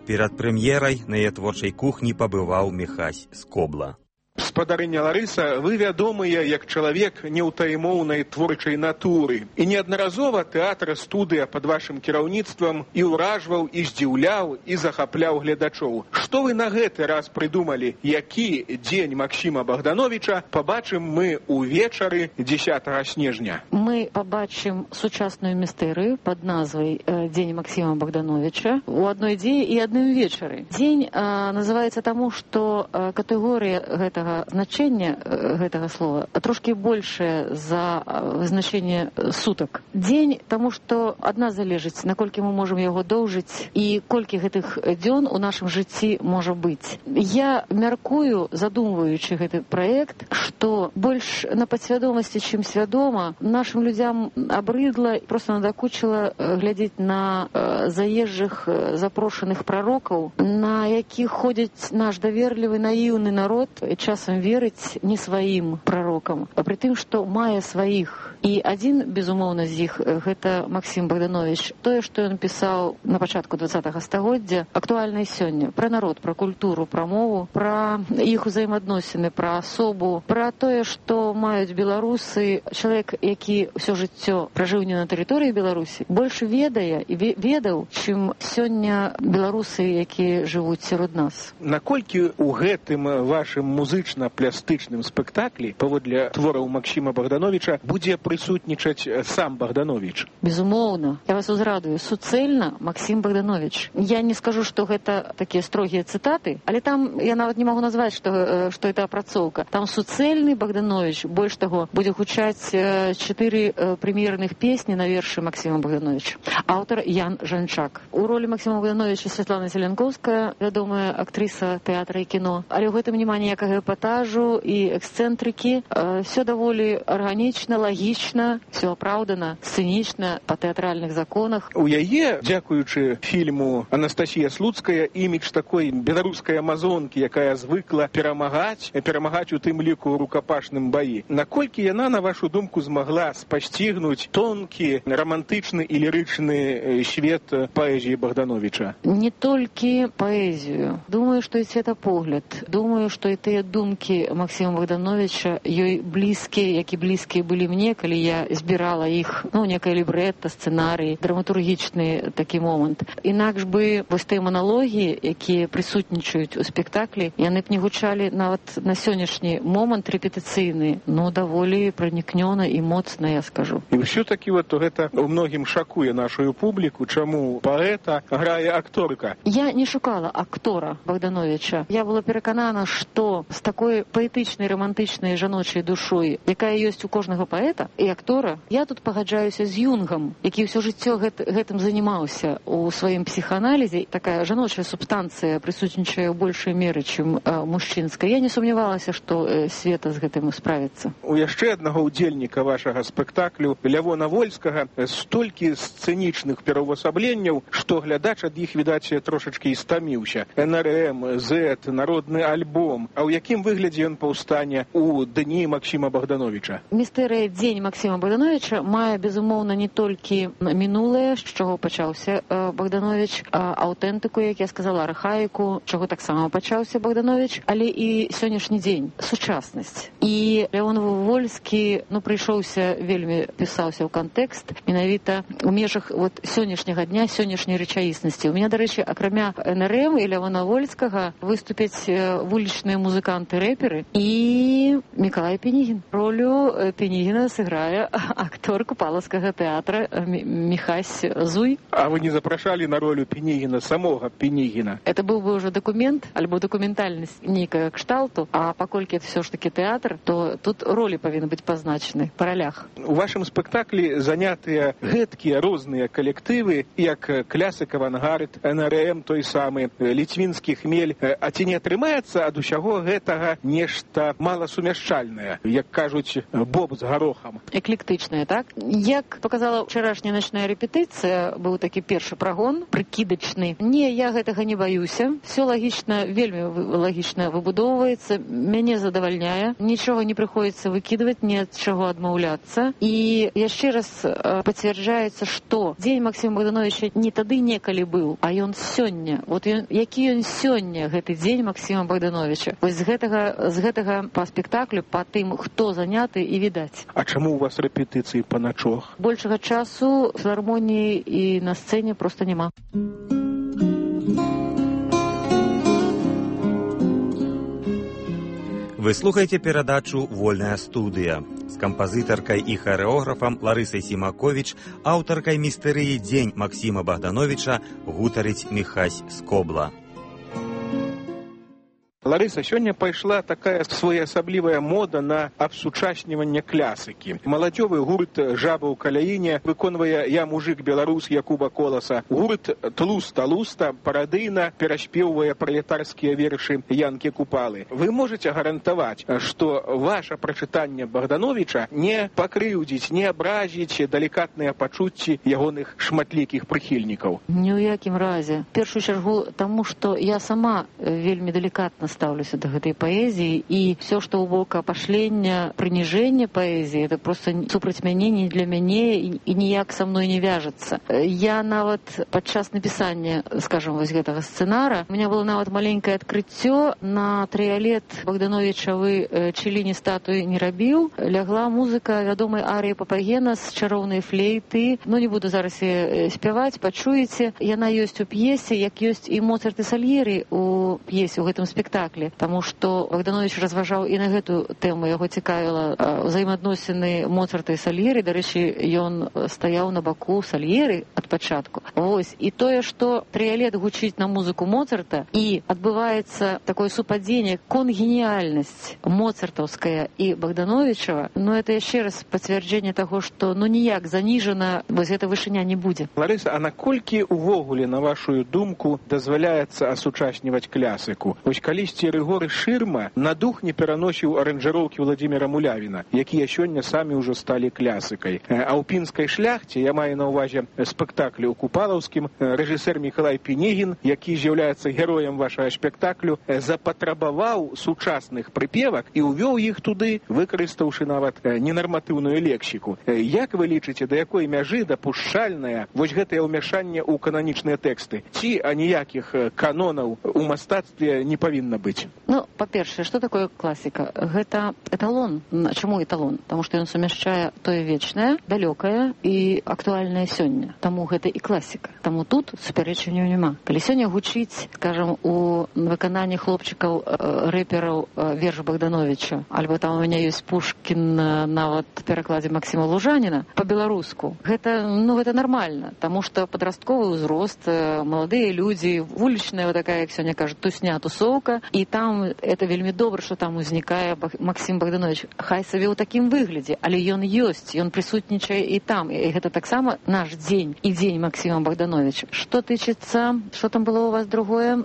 Перад прэм'ерай на яе творчай кухні пабываў Міхась Скобла. Спадарыня Ларыса, вы вядомыя як чалавек неўтаймоўнай творчай натуры. І неаднаразова тэатр студыя пад вашым кіраўніцтвам і ўражваў, і здзіўляў, і захапляў гледачоў. Што вы на гэты раз прыдумалі? Які дзень Максіма Богдановича пабачым мы увечары 10 снежня? Мы пабачым сучасную містэрыю пад назвай «Дзень Максіма Богдановича» у адной дзеі і адным вечары. Дзень называецца таму, што катэгорыя гэтага значэння гэтага слова трошкі большае за значэнне сутак. Дзень, таму што адна залежыць, наколькі мы можам яго доўжыць і колькі гэтых дзён у нашым жыцці можа быць. Я мяркую, задумваючы гэты праект, што больш на падсвядомасці, чым свядома, нашым людзям абрыдла, проста надакучыла глядзець на заезжых запрошаных прарокаў, на якіх ходзіць наш даверлівы, наіўны народ, час часам верыць не сваім прарокам, а пры тым, што мае сваіх. І адзін, безумоўна, з іх гэта Максім Богданович. Тое, што ён пісаў на пачатку 20-го стагоддзя, актуальна і сёння. Пра народ, пра культуру, пра мову, пра іх узаемадносіны, пра асобу, пра тое, што маюць беларусы. Чалавек, які ўсё жыццё пражыў не на тэрыторыі Беларусі, больш ведае і ведаў, чым сёння беларусы, якія жывуць сярод нас. Наколькі ў гэтым вашым музычна-плястычным спектаклі, паводле твораў Максіма Богдановича, будзе прысутнічаць сам Богданович? Безумоўна. Я вас узрадую. Суцэльна Максім Богданович. Я не скажу, што гэта такія строгія цытаты, але там я нават не магу назваць, што это апрацоўка. Там суцэльны Богданович. Больш таго, будзе гучаць 4 прэм'ерных песні на вершы Максіма Богдановича. Аўтар Ян Жанчак. У ролі Максіма Богдановича Святлана Зеленковская, вядомая актрыса тэатра і кіно. Але ў гэтым няма ніякага эпатажу і эксцэнтрыкі. Все даволі арганічна, лагічна, все апраўдана, сцэнічна, па тэатральных законах. У яе, дзякуючы фільму Анастасія Слуцкая, імідж такой беларускай амазонкі, якая звыкла перамагаць у тым ліку ў рукапашным баі. Наколькі яна, на вашу думку, змагла спасцігнуць тонкі, романтычны і лірычны свет паэзіі Богдановича? Не толькі паэзію. Думаю, што і светапогляд. Думаю, што і тыя думкі Максіма Богдановича ёй блізкія, які блізкія былі мне, калі я збірала іх, некае лібрэтта, сцэнарый, драматургічны такі момант. Інакш бы вось тыя маналогі, якія прысутнічаюць у спектаклі, яны б не гучалі нават на сённяшні момант рэпетыцыйны, даволі пранікнёна і моцна, я скажу. І ўсё-такі гэта ў многім шакуе нашу публіку, чаму паэта грае акторка. Я не шукала актора Богдановича. Я была пераканана, што з такой паэтычнай, романтычнай жаночай душой, якая ёсць у кожнага паэта і актора, я тут пагаджаюся з Юнгам, які ўсё жыццё гэтым занімаўся у сваім псіхааналізе. Такая жаночая субстанцыя прысутнічае ў большай меры, чым мужчынская. Я не сумнявалася, што Света з гэтым справіцца. У яшчэ аднаго ўдзельніка вашага спектаклю, Лявона Вольскага, столькі сцэнічных пераўвасабленняў, што глядач ад іх, відаць, трошачкі стаміўся. НРМ, Z, народны альбом. А ў якім выглядзе ён паўстане ў дні Максіма Богдановича? Містэрыя дзень Максіма Богдановича мае, безумоўна, не толькі мінулае, з чаго пачаўся Богданович, аўтэнтыку, як я сказала, архаіку, чаго таксама пачаўся Богданович, але і сённяшні дзень, сучаснасць. І Лявон Вольскі, вельмі пісаўся ў кантэкст, менавіта у межах сённяшняга дня, сённяшняй рэчаіснасці. У мяне, дарэчы, акрамя НРМ і Лявона Вольскага выступяць вулічныя музыканты-рэперы і Мікалай Пенігін. Ролю Пенігіна сыграе актор Купалаўскага тэатра Міхась Зуй. А вы не запрашалі на ролю Пенігіна самога Пенігіна? Это быў бы уже документ, альбо документальнасць нейкага кшталту, а паколькі это все ж таки тэатр, то тут ролі павінны быць пазначаны па ролях. У вашым спектаклі занятыя гэткія розныя калектывы, як Клясык Авангард, НРМ той самы, Ліцвінскі Хмель. А ці не атрымаецца ад усяго гэтага нешта маласумяшчальнае, як кажуць, боб з гарохам? Эклектычнае, так? Як показала вчарашняя начная рэпетыцыя, быў такі першы прагон, прыкідачны. Не, я гэтага не баюся. Все лагічна, вельмі лагічна выбудоўваецца, мяне задавальняе. Нічога не прыходзіцца выкідваць, ні ад чаго адмаўляцца. І яшчэ раз пацвярджаецца, што дзень Максіма Богдановича не тады некалі быў, а ён сёння. Які ён сёння, гэты дзень Максіма Богдановича. Вось з гэтага па спектаклю, па тым, хто заняты, і відаць. А чаму у вас рэпетыцыі па начох? Большага часу в філармоніі і на сцэне проста няма. Вы слухаеце перадачу «Вольная студыя» з кампазітаркай і харэографам Ларысай Сімаковіч, аўтаркай містэрыі «Дзень Максіма Богдановича» гутарыць Міхась Скобла. Ларыса, сёння пайшла такая своеасаблівая мода на абсучасніванне клясыкі. Маладзёвы гурт «Жаба ў каляіне» выконвае «Я мужик беларус» Якуба Коласа. Гурт «Тлуста-луста» парадыйна пераспеўвае пралетарскія вершы Янкі Купалы. Вы можаце гарантаваць, што ваша прачытанне Богдановича не пакрыўдзіць, не абразіць далікатныя пачуцці ягоных шматлікіх прыхільнікаў? Ні ў якім разе. В першую чаргу таму, што я сама вельмі далікатна ставлюся да гэтай паэзіі, і все, што ў бок апашлення, прыніжэння паэзіі, это просто супраць мяне, не для мяне і ніяк са мной не вяжацца. Я нават падчас напісання, скажем, вось гэтага сцэнара, у меня было нават маленькае адкрыццё. На трыялет Богдановичавы Челіні статуі не рабіў. Лягла музыка вядомай арыі Папагена з чароўнай флейты. Ну, не буду зараз спяваць, пачуеце. Яна ёсць у п'есе, як ёсць і Моцарт і Сальері у п'есе, у гэтым спектаклі. Таму што Богданович разважаў і на гэту тэму. Яго цікавіла ўзаемаадносіны Моцарта і Сальері. Дарэчы, ён стаяў на баку Сальері ад пачатку. Вось. І тое, што трыялет гучыць на музыку Моцарта, і адбываецца такое супадзенне, конгеніальнасць моцартаўская і Богдановичава, ну, это яшчэ раз пацвярджэнне таго, што ну ніяк заніжана вось гэта вышыня не будзе. Ларыса, а наколькі увогуле, на вашу думку, дазваляецца асучасніваць клясыку? Вось калісьці Рыгор Шырма на дух не пераносіў аранжыроўкі Владзіміра Мулявіна, якія сёння самі ўжо сталі клясыкай. А ў пінскай шляхце, я маю на ўвазе спектаклю ў Купалаўскім, рэжысэр Мікалай Пінегін, які з'яўляецца героем вашага спектаклю, запатрабаваў сучасных прыпевак і ўвёў іх туды, выкарыстаўшы нават ненарматыўную лексіку. Як вы лічыце, да якой мяжы дапушчальнае вось гэтае ўмяшанне ў кананічныя тэксты? Ці аніякіх канонаў у мастацтве не павінна быць? Ну, па-першае, што такое класіка? Гэта эталон. Чаму эталон? Таму што ён сумяшчае тое вечнае, далёкае і актуальнае сёння. Таму гэта і класіка. Таму тут супярэчанняў няма. Калі сёння гучыць, скажем, у выкананні хлопчыкаў рэпераў верш Богдановича, альбо там у меня ёсць Пушкін нават в перакладзе Максима Лужаніна по-беларуску. Гэта, ну, гэта нормально, таму што падрастковы ўзрост, маладыя людзі, вулічная вот такая, як сёння кажуць, тусня, тусоўка, і там это вельмі добра, што там узнікае Максим Богданович. Хай сабе ў такім выглядзе, але ён ёсць, ён прысутнічае і там. І гэта таксама наш дзень і дзень Максима Богдановича. Што тычыцца, што там было у вас другое?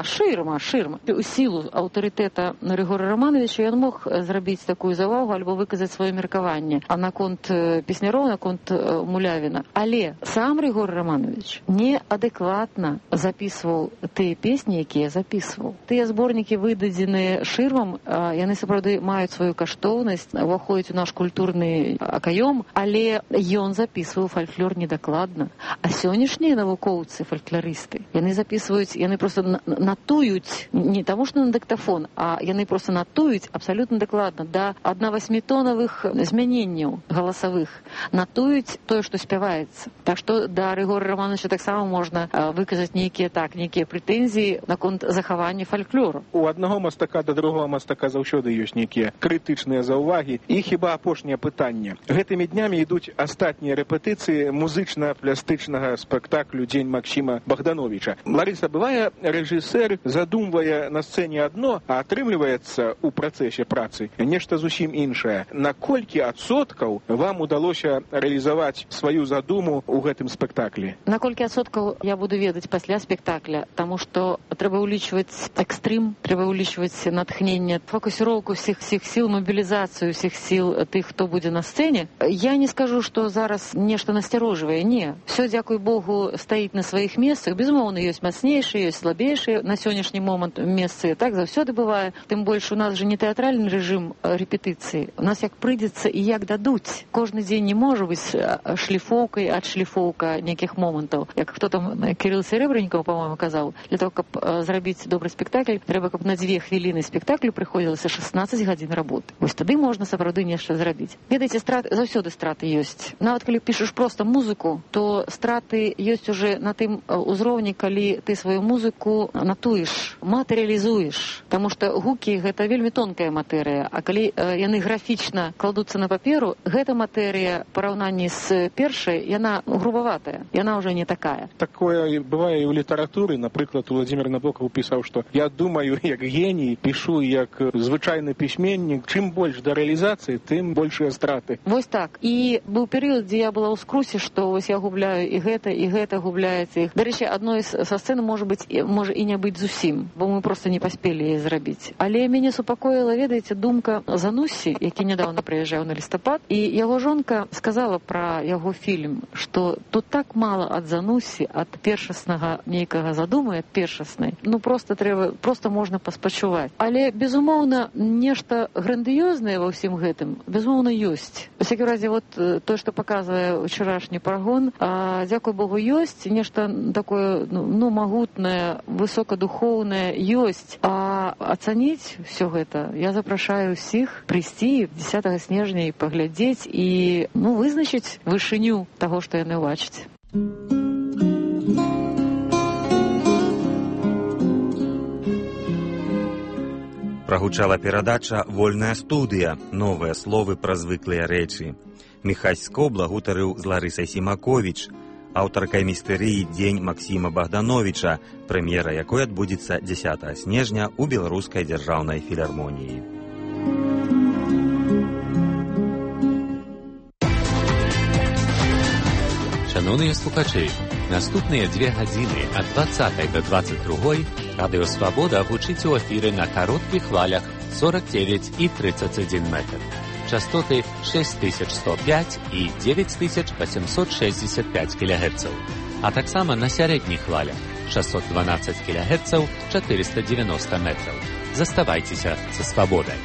Шырма. У сілу аўтарытэта Рыгора Романовича ён мог зрабіць такую завагу альбо выказаць сваё меркаванне наконт песняроў, наконт Мулявіна. Але сам Рыгор Романович неадэкватна запісваў тыя песні, якія запісваў. Тыя зборнікі, выдадзеныя Шырмам, яны сапраўды маюць сваю каштоўнасць, уваходзяць у наш культурны акаём, але ён запісваў фальклор недакладна. А сённяшнія навукоўцы, фальклорысты, яны запісваюць, яны проста натуюць, не таму што на дыктафон, а яны проста натуюць абсалютна дакладна, да 1/8 змяненняў галасавых, натуюць тое, што спяваецца. Так што да Рыгора Романовича таксама можна выказаць нейкія прэтэнзіі наконт захавання фальклору. У аднаго мастака да другога мастака заўсёды ёсць нейкія крытычныя заўвагі. І хіба апошняе пытанне. Гэтымі днямі ідуць астатнія рэпетыцыі музычна-пластычнага спектаклю «Дзень Максима Богдановича». Ларыса, бывае, рэжысэр задумвае на сцэне адно, а атрымліваецца ў працэсе працы нешта зусім іншае. На колькі адсоткаў вам удалося рэалізаваць сваю задуму ў гэтым спектаклі? На колькі адсоткаў я буду ведаць пасля спектакля, таму што трэба ўлічваць экстрым, трэба ўлічваць натхненне, фокусіроўку всіх сіл, мобілізацыю всіх сіл тых, хто будзе на сцэне. Я не скажу, што зараз нешта насцярожвае, не. Все, дзякуй Богу, стаіць на сваіх месцах. Безумоўна, ёсць мацнейшыя, ёсць слабейшыя на сённяшні момант месцы. Так заўсёды бывае. Тым больш у нас же не тэатральны рэжым рэпетыцыі. У нас як прыйдзецца і як дадуць. Кожны дзень не можа быць шліфоўкай, адшліфоўка нейкіх момантаў. Як хто там, Кірыл Серебрэннікаў, па-моему, казаў, для того, каб зрабіць добры спектакль, трэба, каб на 2 хвіліны спектаклю прыходзілася 16 гадзін работы. Вось тады можна сапраўды нешта зрабіць. Ведаеце, заўсёды страты ёсць. Нават калі пішаш проста музыку, то страты ёсць уже на тым узроўні, калі ты сваю музыку натуеш, матэрыялізуеш. Таму што гукі — гэта вельмі тонкая матэрыя, а калі яны графічна кладуцца на паперу, гэта матэрыя ў параўнанні з першай, яна грубаватая, яна ўжо не такая. Такое бывае і ў літаратуры. Напрыклад, Владзімір Набокаў пісаў, што я думаю як геній, пішу як звычайны пісьменнік. Чым больш да рэалізацыі, тым большыя страты. Вось так. І быў перыяд, дзе я была ў скрусе, што вось я губляю і гэта губляецца. Дарэчы, адной са сцэн можа і не быць зусім, бо мы проста не паспелі яе зрабіць. Але мяне супакоіла, ведаеце, думка Зануссі, які нядаўна прыязджаў на лістапад, і яго жонка сказала пра яго фільм, што тут так мала ад Зануссі, ад першаснага нейкага задумы, ад першаснай. Ну, проста проста можна паспачуваць. Але, безумоўна, нешта грандыёзнае ва ўсім гэтым, безумоўна, ёсць. У всякім разе, вот то, што паказвае ўчарашні прагон, дзякуй Богу, ёсць, нешта такое, магутнае, высокадухоўнае ёсць. А ацаніць все гэта я запрашаю ўсіх прыйсці 10 снежня і паглядзець і, вызначыць вышыню таго, што яны ўбачаць. Прагучала перадача «Вольная студыя», новыя словы пра звыклыя рэчы. Міхась Скобла гутарыў з Ларысай Сімаковіч, аўтаркай містэрыі «Дзень Максіма Богдановича», прэм'ера якой адбудзецца 10 снежня ў Беларускай дзяржаўнай філармоніі. Шановныя слухачы, наступныя 2 гадзіны ад 20 до 22 Радыё Свабода гучыць у эфіры на кароткіх хвалях 49 і 31 метр. Частоты 6105 і 9865 кГц. А таксама на сярэдніх хвалях 612 кГц 490 метраў. Заставайцеся са Свабодай.